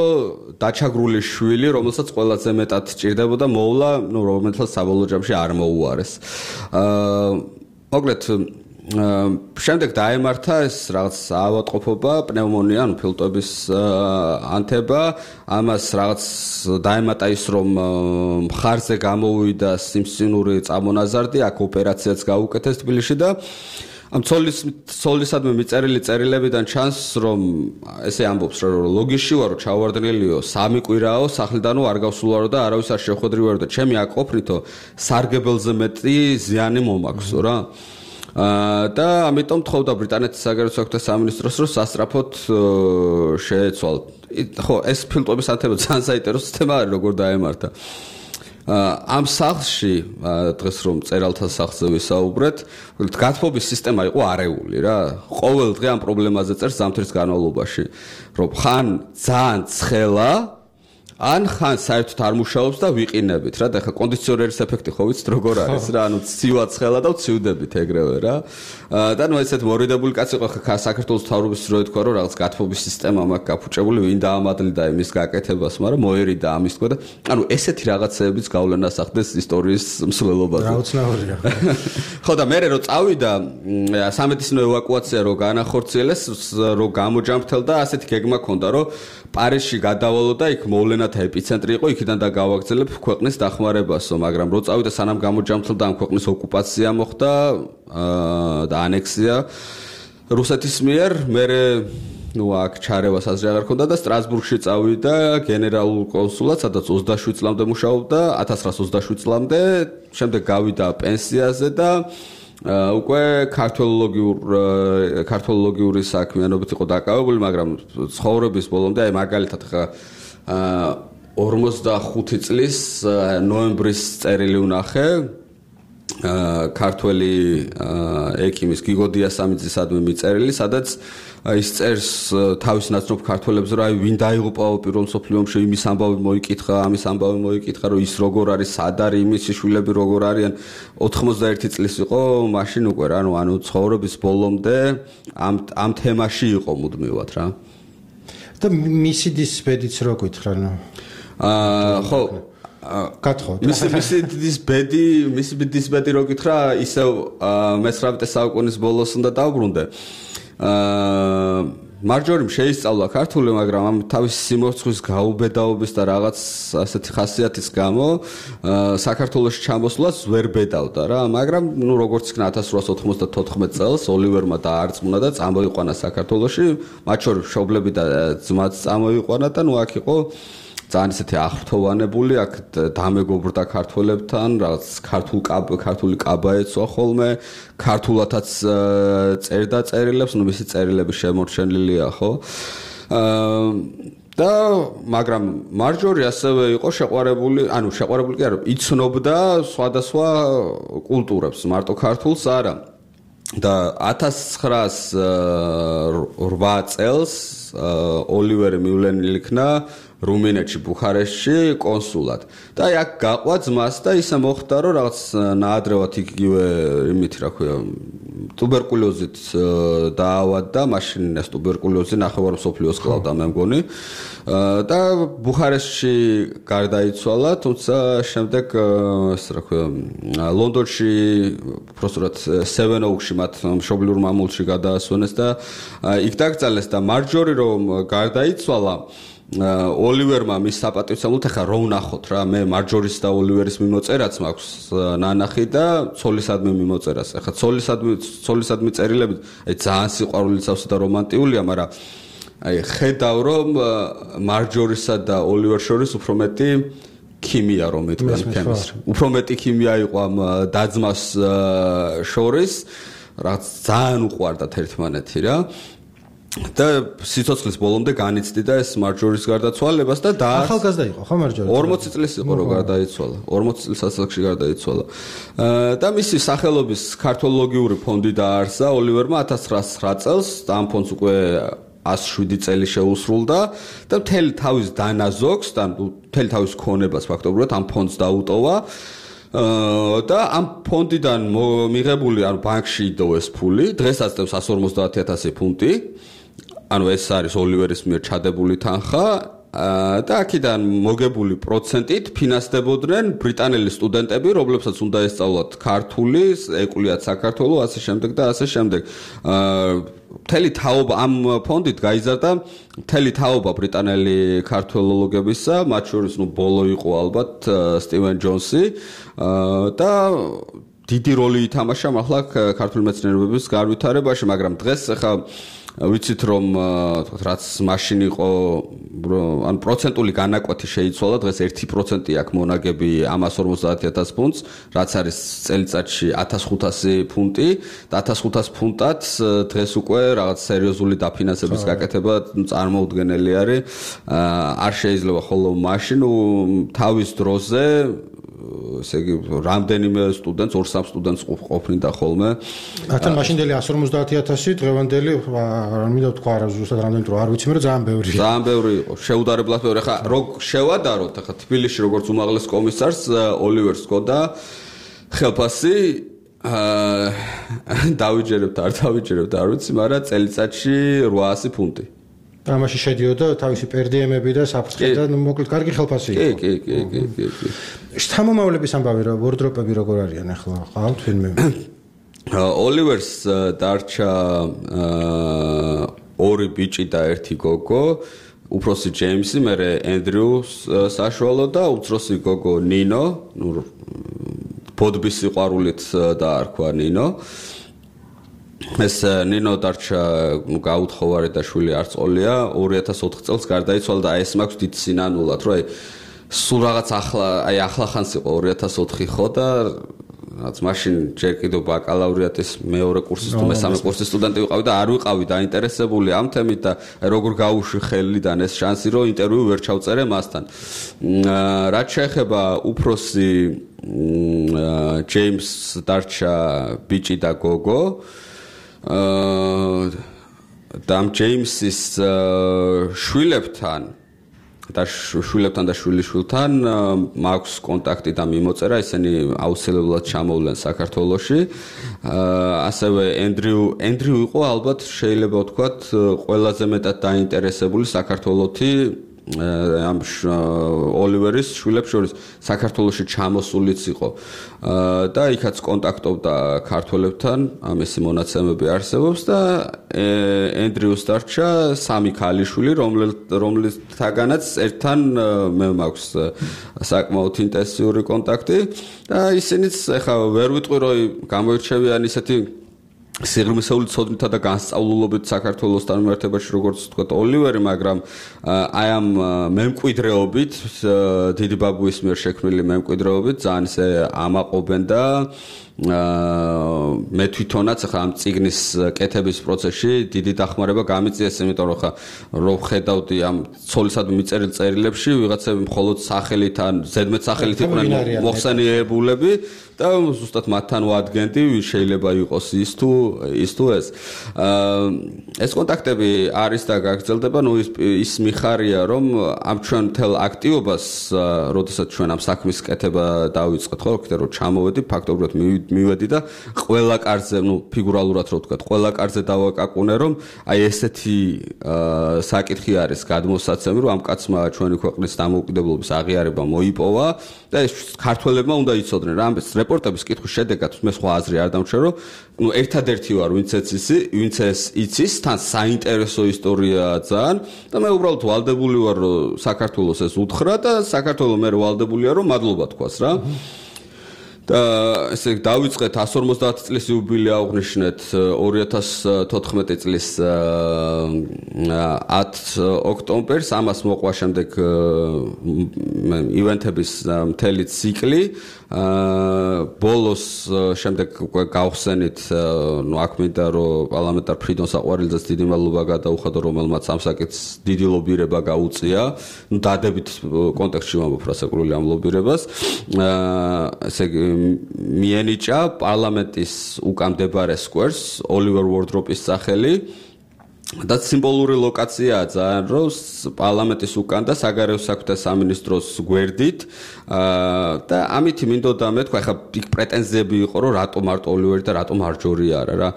დაჩაგრული შვილი, რომელსაც ყველაზე მეტად ჭირდებოდა მოვლა, ნუ რომელსაც საბოლოო ჯამში არ მოუარეს. აა მოკლედ შემდეგ დაემართა ეს რაღაც ავადმყოფობა, პნევმონია, ანუ ფილტვების ანთება, ამას რაღაც დაემატა ის, რომ მხარზე გამოვიდა სიმსივნური წამონაზარდი, აქ ოპერაციაც გაუკეთეს თბილისში და ამ ცოლის ცოლისადმი მიწერილი წერილებიდან ჩანს, რომ ესე ამბობს, რომ ლოგიში ვარო, ჩავარდნილიო, სამი კვირაო, სახლიდანო არ გავსულარო და არავის არ შეხვედრივარო და ჩემი აქ ყოფნითო სარგებელზე მეტი ზიანი მომაქვსო რა. აა და ამიტომ თხოვდა ბრიტანეთის საგარეო საქმეთა სამინისტროს, რომ სასწრაფოდ შეეცვალ. ხო, ეს ფილტვების ანთება ძალიან საინტერესო თემა არის, როგორ დაემართა. ამ სახლში დღეს რომ წერალთა სახლზე ვისაუბრეთ, გათბობის სისტემა იყო არეული რა. ყოველ დღე ამ პრობლემაზე წერს ზამთრის განმავლობაში, რომ ხან ძალიან ცხელა, ან ხან საერთოდ არ მუშაობს და ვიყინებით რა. და ხა კონდიციონერის ეფექტი ხო ვიცით როგორ არის რა, ანუ ცივა ცხელა და ვცივდებით ეგრევე რა. და ნუ ესეთ მორიდებული კაცი იყო ხა საქართველოს მთავრობის რო ეთქვა, რომ რაღაც გათბობის სისტემა მაქვს გაფუჭებული, ვინ დაამადლიდა იმის გაკეთებას, მაგრამ მოერიდა ამის თქვა და ანუ ესეთი რაღაცეებიც გავლენას ახდენს ისტორიის მსვლელობაზე. რა უცნაურია. ხო და მე რო წავიდა სამედიცინო ევაკუაცია რო განახორციელეს, რო გამოჯამრთელდა, ასეთი გეგმა ჰქონდა, რომ პარიზში გადავალო და იქ მოვლენათა ეპიცენტრი იყო, იქიდან და გავაგრძელებ ქვეყნის დახმარებასო, მაგრამ რო წავიდა სანამ გამოჯამრთელდა ამ ქვეყნის ოკუპაცია მოხდა და ანექსია რუსეთის მიერ, მე ნუ აქ ჩარევას აზრი აღარ ქონდა და სტრასბურგში წავიდა გენერალურ კონსულად, სადაც ოცდაშვიდ წლამდე მუშაობდა, ათას ცხრაას ოცდაშვიდ წლამდე, შემდეგ გავიდა პენსიაზე და უკვე ქართველოლოგიურ ქართველოლოგიური საქმიანობით იყო დაკავებული, მაგრამ ცხოვრების ბოლომდე აი მაგალითად ხა ორმოცდახუთი წლის ნოემბრის წერილი ვნახე ქართველი ექიმის გიგო დიასამიძისადმი მიწერილი, სადაც ის წერს თავის ნაცნობ ქართველებს, რომ აი ვინ დაიღუპაო პირველ მსოფლიო ომში, იმის ამბავი მოიკითხა, ამის ამბავი მოიკითხა, რომ ის როგორ არის, სად არის, იმის შვილები როგორ არიან. ოთხმოცდაერთი წლის იყო მაშინ უკვე რა, ანუ ცხოვრების ბოლომდე ამ ამ თემაში იყო მუდმივად რა. და მისი დისბედიც რო გითხრა, ნუ აა ხო კათხო. მისი მისი დისბედი, მისი დისბედი რო გითხრა, ისევ მესამე საუკუნის ბოლოს უნდა დავბრუნდე. აა მარჯორიმ შეისწავლა ქართული, მაგრამ ამ თავის სიმორცხვის გაუბედაობის და რაღაც ასეთი ხასიათის გამო საქართველოში ჩამოსვლას ვერ ბედავდა რა, მაგრამ ნუ როგორც იქნა ათას რვაას ოთხმოცდათოთხმეტ წელს ოლივერმა დაარწმუნა და წამოიყვანა საქართველოში, მათ შორის მშობლები და ძმაც წამოიყვანა და ნუ აქ იყო ძალიან ისეთი აღრთოვანებული, აქ დამეგობრდა ქართველებთან, რაღაც ქართულ ქართული კაბა ეცვა ხოლმე, ქართულათაც წერდა წერილებს, ნუ მისი წერილები შემორჩენილია, ხო? აა და მაგრამ მარჯორი ასევე იყო შეყვარებული, ანუ შეყვარებული კი არა, იცნობდა სხვადასხვა კულტურებს, მარტო ქართულს არა. და ათას ცხრაას რვა წელს ოლივერი მივლენილი იქნა რუმინეთში, ბუხარესტში კონსულად. და აი აქ გაყვა ძმას და ისე მოხდა, რომ რაღაც ნაადრევად იგივე იმით, რა ქვია, ტუბერკულოზით დაავადდა, მაშინ ეს ტუბერკულოზი ნახევარ მსოფლიოს კლავდა, მე მგონი. და ბუხარესტში გარდაიცვალა, თუმცა შემდეგ ეს რა ქვია, ლონდონში უბრალოდ Seven Oaks-ში მათ მშობლიურ მამულში გადაასვენეს და იქ დაკრძალეს და მარჯორი რომ გარდაიცვალა ოლივერმა მის საპატივცემლოდ ახლა რო ვნახოთ რა მე მარჯორის და ოლივერის მიმოწერაც მაქვს ნანახი და ცოლისადმი მიმოწერას. ახლა ცოლისადმი ცოლისადმი წერილები აი ძალიან სიყვარულიცავსა და რომანტიულია, მაგრამ აი ხედავ რომ მარჯორისა და ოლივერს შორის უფრო მეტი ქიმია რომ მეთქვა თემის. უფრო მეტი ქიმია იყო ამ დაძმას შორის, რაც ძალიან უყვარდათ ერთმანეთი რა. და სიცოცხლის ბოლომდე განიცდიდა ეს მარჯორის გარდაცვალებას და და ახალგაზრდა იყო ხო მარჯორი? ორმოცი წლის იყო რომ გარდაიცვალა. ორმოცი წლის ასაკში გარდაიცვალა. და მისი სახელობის ქართოლოგიური ფონდი დაარსა ოლივერმა ათას ცხრაასი წელს და ამ ფონდს უკვე ათას შვიდი წელი შეუსრულდა და მთელი თავის დანაზოგს და მთელი თავის ქონებას ფაქტობრივად ამ ფონდს დაუტოვა. და ამ ფონდიდან მიღებული ანუ ბანკში იდოვეს ფული, დღესაც წევს εκατს ორმოცდაათი ათასი ფუნტი. ანუ ეს არის ოლივერის მიერ ჩადებული თანხა და აქედან მოგებული პროცენტით ფინანსდებოდნენ ბრიტანელი სტუდენტები, რომლებსაც უნდა ესწავლათ ქართული, ეკულიათ საქართველო, ასე შემდეგ და ასე შემდეგ. მთელი თაობა ამ ფონდით გაიზარდა მთელი თაობა ბრიტანელი ქართველოლოგებისა, მათ შორის ნუ ბოლო იყო ალბათ სტივენ ჯონსი და დიდი როლი ითამაშა ახლა ქართული მეცნიერებების განვითარებაში, მაგრამ დღეს ახლა ვიცით რომ რაც მაშინ იყო ან პროცენტული განაკვეთი შეიცვალა, დღეს ერთი პროცენტი აქვს მონაგები ამ εκατს ორმოცდაათი ათას ფუნტს, რაც არის წელიწადში ათას ხუთასი ფუნტი და ათას ხუთასი ფუნტად დღეს უკვე რაღაც სერიოზული დაფინანსების გაკეთება წარმოუდგენელი არის. არ შეიძლება ხოლო მაშინ თავის დროზე ესე იგი რამდენიმე სტუდენტს, ორ-სამ სტუდენტს ყოფნიდა ხოლმე. ათან მაშინდელი εκατს ორმოცდაათი ათასი დღევანდელი არ მინდა ვთქვა რა ზუსტად რამდენი თუ არ ვიცი, მაგრამ ძალიან ბევრი. ძალიან ბევრი იყო. შეუდარებლად ბევრი. ხა როგორ შევადაროთ, ხა თბილისში როგორც უმაღლეს კომისარს ოლივერს ჰქონდა ხელფასი აა დავიჯერებთ, არ დავიჯერებთ, არ ვიცი, მაგრამ წელიწადში რვაასი ფუნტი. ამაში შედიოდა თავისი პერდიემები და საფრთხე და მოკლედ კარგი ხელფასი იყო. კი, კი, კი, კი, კი, კი. შთამომავლების ამბავი რა, ვორდროპები როგორ არიან ახლა? ყავთ ფილმი? ოლივერს დარჩა ორი ბიჭი და ერთი გოგო, უფროსი ჯეიმსი, მერე ენდრიუ საშუალო და უმცროსი გოგო ნინო, ნუ ბოდბის სიყვარულით დაარქვა ნინო. ეს ნინო დარჩა გაუთხოვარი და შვილი არ წოლია, ორი ათას ოთხ წელს გარდაიცვალა და ეს მაქვს დიდ სინანულად, რომ აი სულ რაღაც ახლა აი ახლა ხანს იყო ორი ათას ოთხი ხო და რაც მაშინ ჯერ კიდევ ბაკალავრიატის მეორე კურსის თუ მესამე კურსის სტუდენტი ვიყავი და არ ვიყავი დაინტერესებული ამ თემით და როგორ გაუშვი ხელიდან ეს შანსი რომ ინტერვიუ ვერ ჩავწერე მასთან. რაც შეეხება უფროსი ჯეიმს დარჩა ბიჭი და გოგო და ამ ჯეიმსის შვილებთან და შვილებთან და შვილიშვილთან მაქვს კონტაქტი და მიმოწერა, ისინი აუცილებლად ჩამოვლენ საქართველოში. ასევე ენდრიუ ენდრიუ იყო ალბათ შეიძლება ვთქვათ ყველაზე მეტად დაინტერესებული საქართველოთი ამ ოლივერის შვილებს შორის საქართველოში ჩამოსულიც იყო და იქაც კონტაქტობდა ქართველებთან, ამისი მონაცემები არსებობს და ენდრიუს დარჩა სამი ქალიშვილი, რომლითაგანაც ერთთან მე მაქვს საკმაოდ ინტენსიური კონტაქტი და ისინიც ეხლა ვერ ვიტყვი რომ გამოირჩევიან ისეთი სიღრმისეული ცოდნითა და განსწავლულობით საქართველოსთან მიმართებაში როგორც ვთქვათ ოლივერი, მაგრამ აი ამ მემკვიდრეობით, დიდი ბაბუის მიერ შექმნილი მემკვიდრეობით ძალიან ისე ამაყობენ და მე თვითონაც ახლა ამ წიგნის კეთების პროცესში დიდი დახმარება გამიწიეს, იმიტომ რომ ხა რო ხედავდი ამ ცოლისადმი მიწერილ წერილებში ვიღაცები მხოლოდ სახელით ან ზედმეტ სახელით იყვნენ მოხსენიებულები და ზუსტად მათთან ვადგენდი ვის შეიძლება იყოს ის თუ ის თუ ეს. ეს კონტაქტები არის და გაგრძელდება, ნუ ის მიხარია რომ ამ ჩვენ მთელ აქტივობას, როდესაც ჩვენ ამ საქმის კეთება დავიწყეთ, ხო, კიდე რომ ჩამოვედი, ფაქტობრივად მივიდა მივედი და ყველა კარზე, ну, ფიგურალურად რო ვთქვა, ყველა კარზე დავაკაკუნე, რომ აი ესეთი საკითხი არის გადმოსაცემი, რომ ამ კაცმა ჩვენი ქვეყნის დამოუკიდებლობის აღიარება მოიპოვა და ეს ქართველებმა უნდა იცოდნენ რა, ამ რეპორტების კითხვის შედეგად მე სხვა აზრი არ დამჩნევ, რომ ну, ერთადერთი ვარ, ვინც იცის, ვინც ეს იცის, თან საინტერესო ისტორიაა ძალიან და მე უბრალოდ ვალდებული ვარ, რომ საქართველოს ეს უთხრა და საქართველოს მე ვალდებულია, რომ მადლობა თქვას რა. და ესე დავიწყეთ one forty წლის იუბილე აღვნიშნეთ two thousand fourteen წლის ten ოქტომბერს ამას მოყვა შემდეგ ივენთების მთელი ციკლი ბოლოს შემდეგ გავხსენით ნუ აქ მინდა რომ პარლამენტარ ფრიდონ საყვარელძეს დიდი მადლობა გადაუხადო რომელმაც ამ საკითხს დიდი ლობირება გაუწია ნუ დადებით კონტექსტში ვამბობ რასაკურველი ამ ლობირებას ესე მიენიჭა პარლამენტის უკამდებარე სკვერს ოლივერ ვორდროპის სახელი და სიმბოლური ლოკაციაა ძალიან რომ პარლამენტის უკან და საგარეო საქმეთა სამინისტროს გვერდით და ამითი მინდოდა მე თქვა ხა იქ პრეტენზიები იყო რომ რატომ მარტო ოლივერი და რატომ მარჯორი არა რა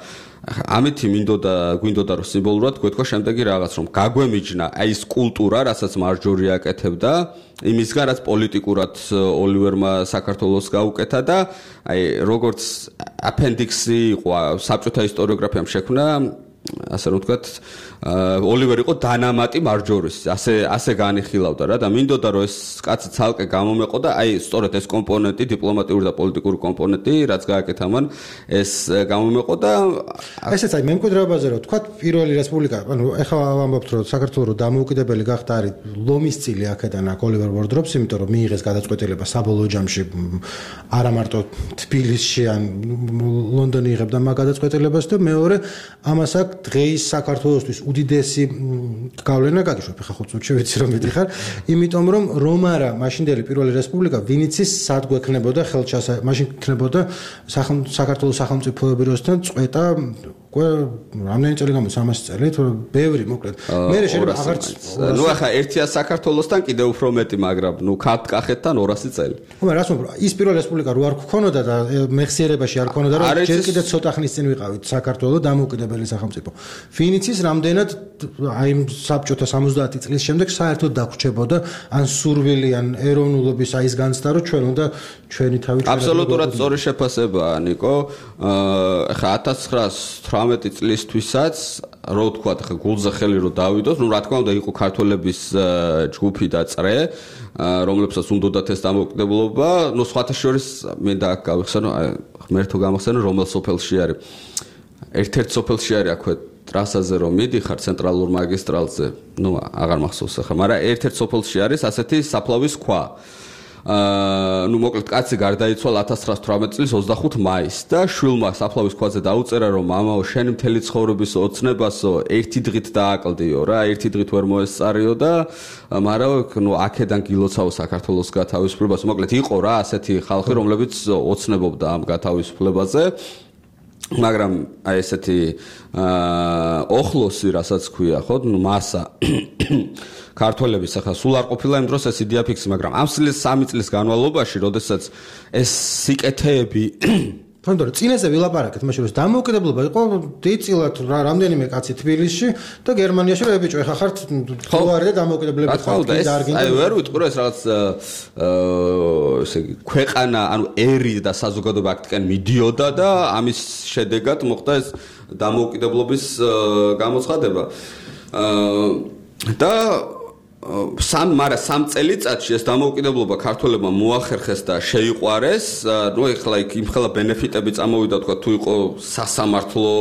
ამითი მინდოდა გვინდოდა რომ სიმბოლურად გვეთქვა შემდეგი რაღაც რომ გაგვემიჯნა აი ეს კულტურა რასაც მარჯორი აკეთებდა იმისგან რაც პოლიტიკურად ოლივერმა საქართველოს გაუკეთა და აი როგორც აპენდიქსი იყო საბჭოთა ისტორიოგრაფიამ შექმნა ასე რომ ვთქვათ ოლივერი იყო დანამატი მარჯორის ასე ასე განიხილავდა რა და მინდოდა რომ ეს კაცი ცალკე გამომეყო და აი სწორედ ეს კომპონენტი დიპლომატიური და პოლიტიკური კომპონენტი რაც გააკეთა მან ეს გამომეყო და ესეც აი მემკვიდრეობაზე რომ ვთქვათ პირველი რესპუბლიკა ანუ ეხლა ვამბობთ რომ საქართველოს რომ დამოუკიდებელი გახდა არის ლომის წილი აქედან აქ ოლივერ ვორდროპს იმიტომ რომ მიიღეს გადაწყვეტილება საბოლოო ჯამში არა მარტო თბილისში ან ლონდონი იღებდა მაგ გადაწყვეტილებას და მეორე ამას აქ დღეის საქართველოსთვის უდიდესი გავლენა გაგიშვებ ხა ხუთ წუთში ვიცი რომ მიდიხარ იმიტომ რომ რომ არა მაშინდელი პირველი რესპუბლიკა ვინიცის სად გვექნებოდა ხელჩასა მაშინ იქნებოდა საქართველოს სახელმწიფოების როსთან წვეტა უკვე რამდენი წელი გამოდის სამასი წელი თუ ბევრი მოკლედ მე შეიძლება აღარც ნუ ახლა ერთია საქართველოსთან კიდევ უფრო მეტი მაგრამ ნუ კახეთთან ორასი წელი ხო მაგრამ რას ვამბობ ის პირველი რესპუბლიკა რო არ გქონოდა და მეხსიერებაში არ ქონოდა რომ ჯერ კიდევ ცოტა ხნის წინ ვიყავით საქართველოს დამოუკიდებელი სახელმწიფო ვინიცის რამდენად აი საბჭოთა სამოცდაათი წლის შემდეგ საერთოდ დაგვრჩებოდა ან სურვილი ან ეროვნულობის აი ეს განცდა რომ ჩვენ უნდა ჩვენი თავი აბსოლუტურად სწორი შეფასებაა ნიკო ახლა one thousand nine hundred წლისთვისაც რო ვთქვა ხა გულზე ხელი რო დავიდოს ნუ რა თქმა უნდა იყო ქართველების ჯგუფი და წრე რომლებსაც უნდათ ეს დამოუკიდებლობა ნუ სხვათა შორის მე და აქ გავიხსენო ღმერთო გამახსენო რომელ სოფელში არის ერთ-ერთ სოფელში არის აქვე ტრასაზე რომ მიდიხარ ცენტრალურ მაგისტრალზე ნუ აღარ მახსოვს ახლა მაგრამ ერთ-ერთ სოფელში არის ასეთი საფლავის ქვა აა ნუ მოკლედ კაცი გარდაიცვალა one thousand nine hundred eighteen წლის ოცდახუთ მაისს და შვილმა საფლავის ქვაზე დაუწერა რომ მამაო შენი მთელი ცხოვრების ოცნებასო ერთი დღით დააკლდიო რა ერთი დღით ვერ მოესწარიო და მაგრამ ნუ აქედან გილოცავ საქართველოს გათავისუფლებას მოკლედ იყო რა ასეთი ხალხი რომლებიც ოცნებობდა ამ გათავისუფლებაზე მაგრამ აი ესეთი ოხლოსი რასაც ქვია ხო ნუ მასა ქართველების ახლა სულ არ ყოფილა იმ დროს ეს იდეა ფიქსი მაგრამ ამ სამი წლის განმავლობაში როდესაც ეს სიკეთეები თუნდაც წინაზე ვილაპარაკეთ მაშინ რომ დამოუკიდებლობა იყო დიწილად რა რამდენიმე კაცი თბილისში და გერმანიაში რომ ებიჭო ეხა ხართ ხوارი და დამოუკიდებლები ხართ და აი ვერ ვიტყვი რომ ეს რაღაც ესე იგი ქვეყანა ანუ ერი და საზოგადოება აქტიკან მიდიოდა და ამის შედეგად მოხდა ეს დამოუკიდებლობის გამოცხადება და სამ მაგრამ სამ წელიწადში ეს დამოუკიდებლობა ქართველებმა მოახერხეს და შეიყვარეს. ნუ ეხლა იქ იმხელა ბენეფიტები წამოვიდა თქვა თუ იყო სასამართლო,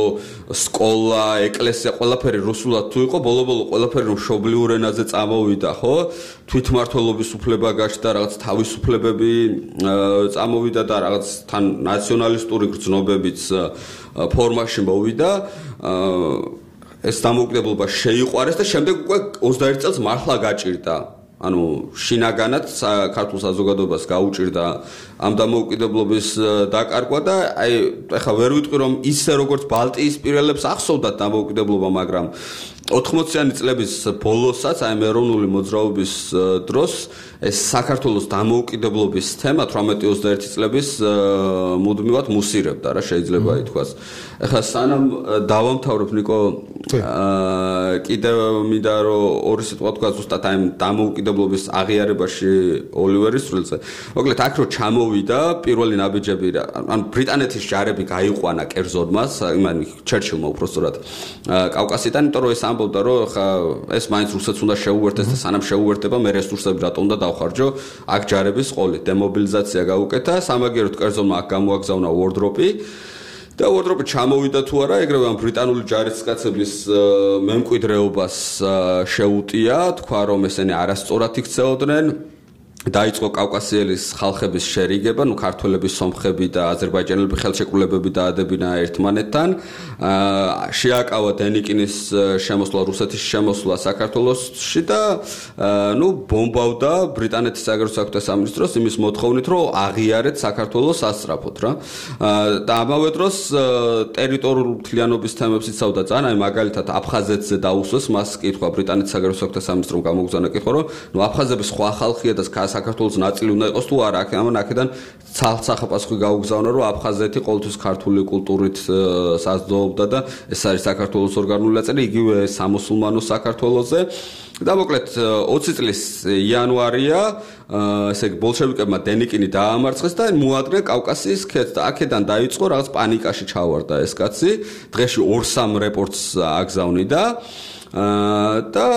სკოლა, ეკლესია, ყველაფერი რუსულად თუ იყო, ბოლო-ბოლო ყველაფერი მშობლიურ ენაზე წამოვიდა, ხო? თვითმმართველობის უფლება გაჩნდა, რაღაც თავისუფლებები წამოვიდა და რაღაც თან ნაციონალისტური გრძნობებიც ფორმაში მოვიდა. ეს დამოუკიდებლობა შეიყვარეს და შემდეგ უკვე ოცდაერთი წელს მართლა გაჭირდა. ანუ შინაგანად ქართულ საზოგადოებას გაუჭირდა ამ დამოუკიდებლობის დაკარგვა და აი ეხლა ვერ ვიტყვი რომ ისე როგორც ბალტიისპირელებს ახსოვდათ დამოუკიდებლობა, მაგრამ ოთხმოციანი წლების ბოლოსაც აი ეროვნული მოძრაობის დროს ეს საქართველოს დამოუკიდებლობის თემა თვრამეტი ოცდაერთი წლების მუდმივად მუსირებდა რა შეიძლება ითქვას. ეხლა სანამ დავამთავრებ ნიკო კიდევ მინდა რომ ორი სიტყვა თქვა ზუსტად აი დამოუკიდებლობის აღიარებაში ოლივერის წვლილზე. მოკლედ აქ რო ჩამოვიდა პირველი ნაბიჯები რა ან ბრიტანეთის ჯარები გაიყვანა კერძოდმას, იმან ჩერჩილმა უпростоრად კავკასიდან, იმიტომ რომ ეს ამბობდა რომ ხა ეს მაინც რუსეთს უნდა შეუერთდეს და სანამ შეუერთება მე რესურსები რატომ უნდა დავხარჯო აქ ჯარების ყოლით დემობილიზაცია გაუკეთა სამაგიეროდ კერძოდმა აქ გამოაგზავნა ვორდროპი და ვორდროპი ჩამოვიდა თუ არა ეგრევე ამ ბრიტანული ჯარისკაცების მემკვიდრეობას შეუტია თქვა რომ ესენი არასწორად იქცეოდნენ დაიწყო კავკასიელის ხალხების შერიგება, ნუ ქართველების, სომხები და აზერბაიჯანელები ხელშეკრულებები დაადებინა ერთმანეთთან. შეაკავა დენიკინის შემოსვლა, რუსეთის შემოსვლა საქართველოში და ნუ ბომბავდა ბრიტანეთის საგარეო საქმეთა სამინისტროს იმის მოთხოვნით, რომ აღიარეთ საქართველოს ასწრაფოდ რა. და ამავე დროს ტერიტორიული მთლიანობის თემებს იცავდა ძალიან, აი მაგალითად აფხაზეთზე დაუსვეს მას კითხვა ბრიტანეთის საგარეო საქმეთა სამინისტრომ გამოგზავნა კითხვა, რომ ნუ აფხაზები სხვა ხალხია და საქართველოს ნაწილი უნდა იყოს თუ არა, ამან აქედან ცალსახაპასხვი გაუგზავნა, რომ აფხაზეთი ყოველთვის ქართული კულტურით საზრდოობდა და ეს არის საქართველოს ორგანული ნაწილი, იგივე სამუსულმანო საქართველოსზე. და მოკლედ ოცი წლის იანვარია, ესე იგი ბოლშევიკებმა დენიკინი დაამარცხეს და მოადგნენ კავკასიის ქედს და აქედან დაიწყო რაღაც პანიკაში ჩავარდა ეს კაცი. დღეში ორ-სამ რეპორტს აგზავნიდა და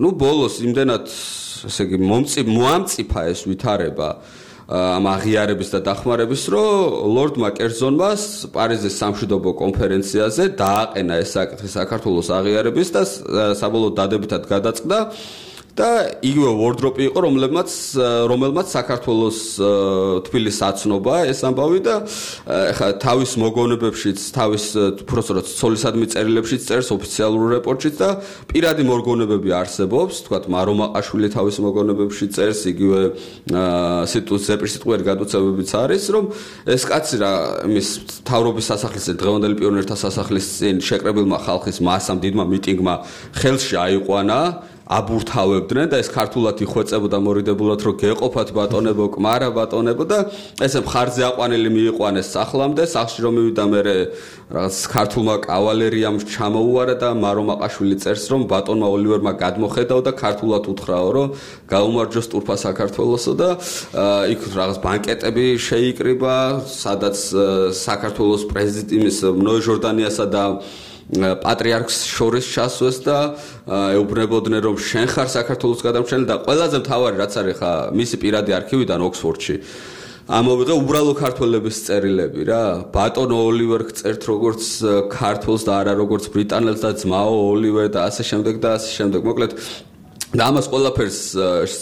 ნუ ბოლოს იმდენად ესე იგი მომწი მოამწიფა ეს ვითარება ამ აღიარების და დახმარების, რომ ლორდმა კერძონმა პარიზის სამშვიდობო კონფერენციაზე დააყენა ეს საკითხი საქართველოს აღიარების და საბოლოო დადებითად გადაწყდა და იგივე ვორდროპი იყო, რომელმაც რომელმაც საქართველოს თბილისს აცნობა ეს ამბავი და ეხლა თავის მოგონებებშიც, თავის უბრალოდ ცოლისადმი წერილებშიც წერს ოფიციალურ რეპორტშიც და პირადი მოგონებები არსებობს, თქვათ მარომაყაშვილი თავის მოგონებებში წერს, იგივე ზეპირსიტყვიერი გადაცემებიც არის, რომ ეს კაცი რა იმის თავრობის სასახლის დღევანდელი პიონერთა სასახლის წინ შეკრებილმა ხალხის მასამ დიდმა მიტინგმა ხელში აიყვანა აბურთავებდნენ და ეს ქართულად იხვეწებოდა მორიდებულად, რომ გეყოფათ ბატონებო, კმარა ბატონებო და ესე მხარზე აყვანილი მიიყვანეს სახლამდე, სახლში რომ მივიდა მერე რაღაც ქართულმა კავალერიამ ჩამოუარა და მარომაყაშვილი წერს, რომ ბატონმა ოლივერმა გადმოხედაო და ქართულად უთხრაო, რომ გაუმარჯოს სტურფა საქართველოსო და იქ რაღაც ბანკეტები შეიკრიბა, სადაც საქართველოს პრეზიდენტის ნოე ჟორდანიასა და პატრიარქს შორის ჩასვეს და ეუბნებოდნენ, რომ შენ ხარ საქართველოს გადამრჩენელი და ყველაზე მთავარი რაც არის ხა მისი პირადი არქივიდან ოქსფორდში ამოვიღე უბრალო ქართველების წერილები რა. ბატონო ოლივერ წერთ როგორც ქართველს და არა როგორც ბრიტანელს და ძმაო ოლივერ და ასე შემდეგ და ასე შემდეგ. მოკლედ და ამას ყველაფერს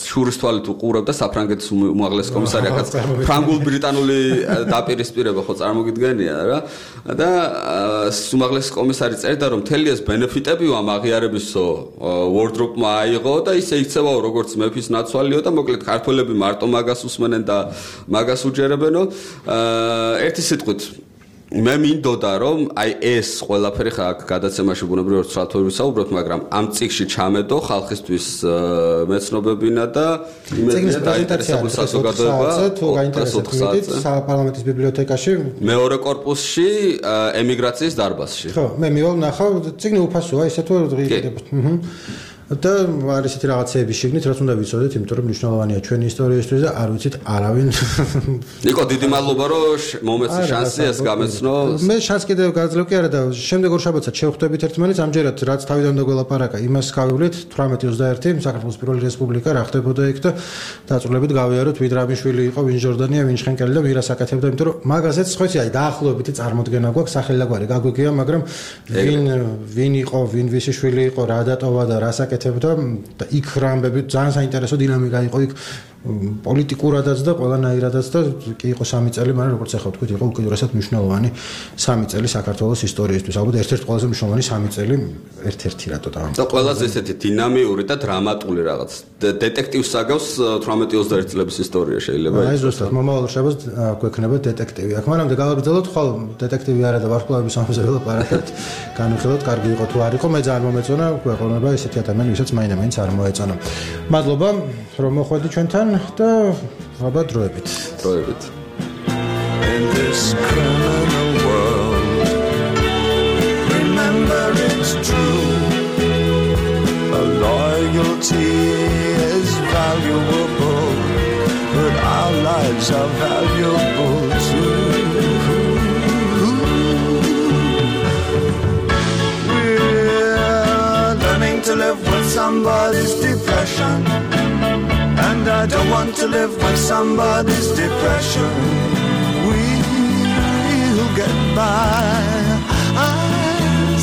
შურის თვალით უყურებდა საფრანგეთის უმაღლესი კომისარი, ახაც ფრანგულ ბრიტანული დაპირისპირება ხო წარმოგიდგენია რა. და უმაღლესი კომისარი წერდა, რომ მთელი ეს ბენეფიტები ამ აღიარებისო ვორდროპმა აიღო და ისე იქცევაო როგორც მეფის ნაცვალიო და მოკლედ ქართველები მარტო მაგას უსმენენ და მაგას უჯერებენო. ერთი სიტყვით მე მინდოდა რომ აი ეს ყველაფერი ხა გადაცემაში ბუნებრივად სრალთოები საუბრობთ, მაგრამ ამ წიგში ჩამედო ხალხისთვის მეცნობებინა და იმედია დაინტერესებულ საზოგადოება საპარლამენტის ბიბლიოთეკაში მეორე კორპუსში ემიგრაციის დარბაზში. ხო, მე მივალ ნახავ, წიგნი უფასოა, ისე თუ დღეიდებ. და არის ისეთი რაღაცეები შეგნით, რაც უნდა ვიცოდეთ, იმიტომ რომ მნიშვნელოვანია ჩვენი ისტორიისთვის და არ ვიცით არავინ. ნიკო, დიდი მადლობა რომ მომეცი შანსი ეს გამეცნო. მე შანსი კიდევ გაძლევ კი არა და შემდეგ ორ შაბათსაც შევხვდებით ერთმანეთს, ამჯერად რაც თავიდან დაგველაპარაკა, იმას გავივლით თვრამეტი ოცდაერთი საქართველოს პირველი რესპუბლიკა რა ხდებოდა იქ და დაწვრილებით გავიაროთ ვინ რაბიშვილი იყო, ვინ ჟორდანია, ვინ შხენკელი და ვირას აკეთებდა, იმიტომ რომ მაგაზეც ხო იცი, აი დაახლოებითი წარმოდგენა გვაქვს, სახელაგვარი გაგვიგია, მაგრამ ვინ ვინ იყო, ვინ ვისი შვილი იყო, რა დატოვა და რას აკეთებდა და იქ რა ამბები ძალიან საინტერესო დინამიკა იყო იქ პოლიტიკურადაც და ყველანაირადაც და კი იყო სამი წელი, მაგრამ როგორც ახლა ვთქვით, იყო უკიდურესად მნიშვნელოვანი სამი წელი საქართველოს ისტორიისთვის. ალბათ ერთ-ერთი ყველაზე მნიშვნელოვანი სამი წელი ერთ-ერთი რატო და და ყველაზე ესეთი დინამიური და დრამატული რაღაც დეტექტივს საგავს თვრამეტი ოცდაერთი წლების ისტორია შეიძლება აი ზუსტად მომავალ შაბათს გვექნება დეტექტივი. აქ მანამდე გავაგრძელოთ ხვალ დეტექტივი არა და ვარსკვლავების ამბზე ველაპარაკებთ. განვიხილოთ, კარგი იყო თუ არ იყო, მე ძალიან მომეწონა, გვეყოლება ესეთი ადამიანი, ვისაც მაინდა-მაინც არ მოეწონა. მადლობა, რომ მოხვედი ჩვენთან და ალბათ დროებით. დროებით. In this criminal world, remember it's true. A loyalty is valuable, but our lives are valuable too. We're learning to live with somebody's depression, and I don't want to live with somebody's depression. We'll get by, I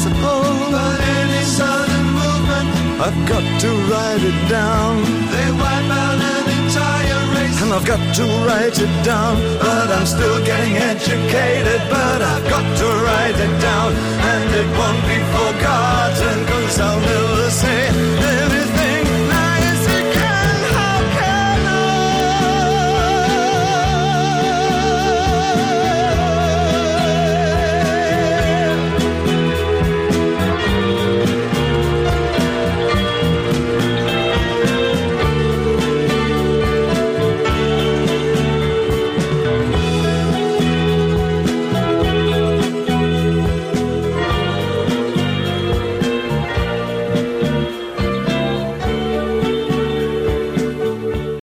suppose. But any sudden movement, I've got to write it down. They wipe out an entire race, and I've got to write it down. But I'm still getting educated, but I've got to write it down. And it won't be forgotten, 'cause I'll never say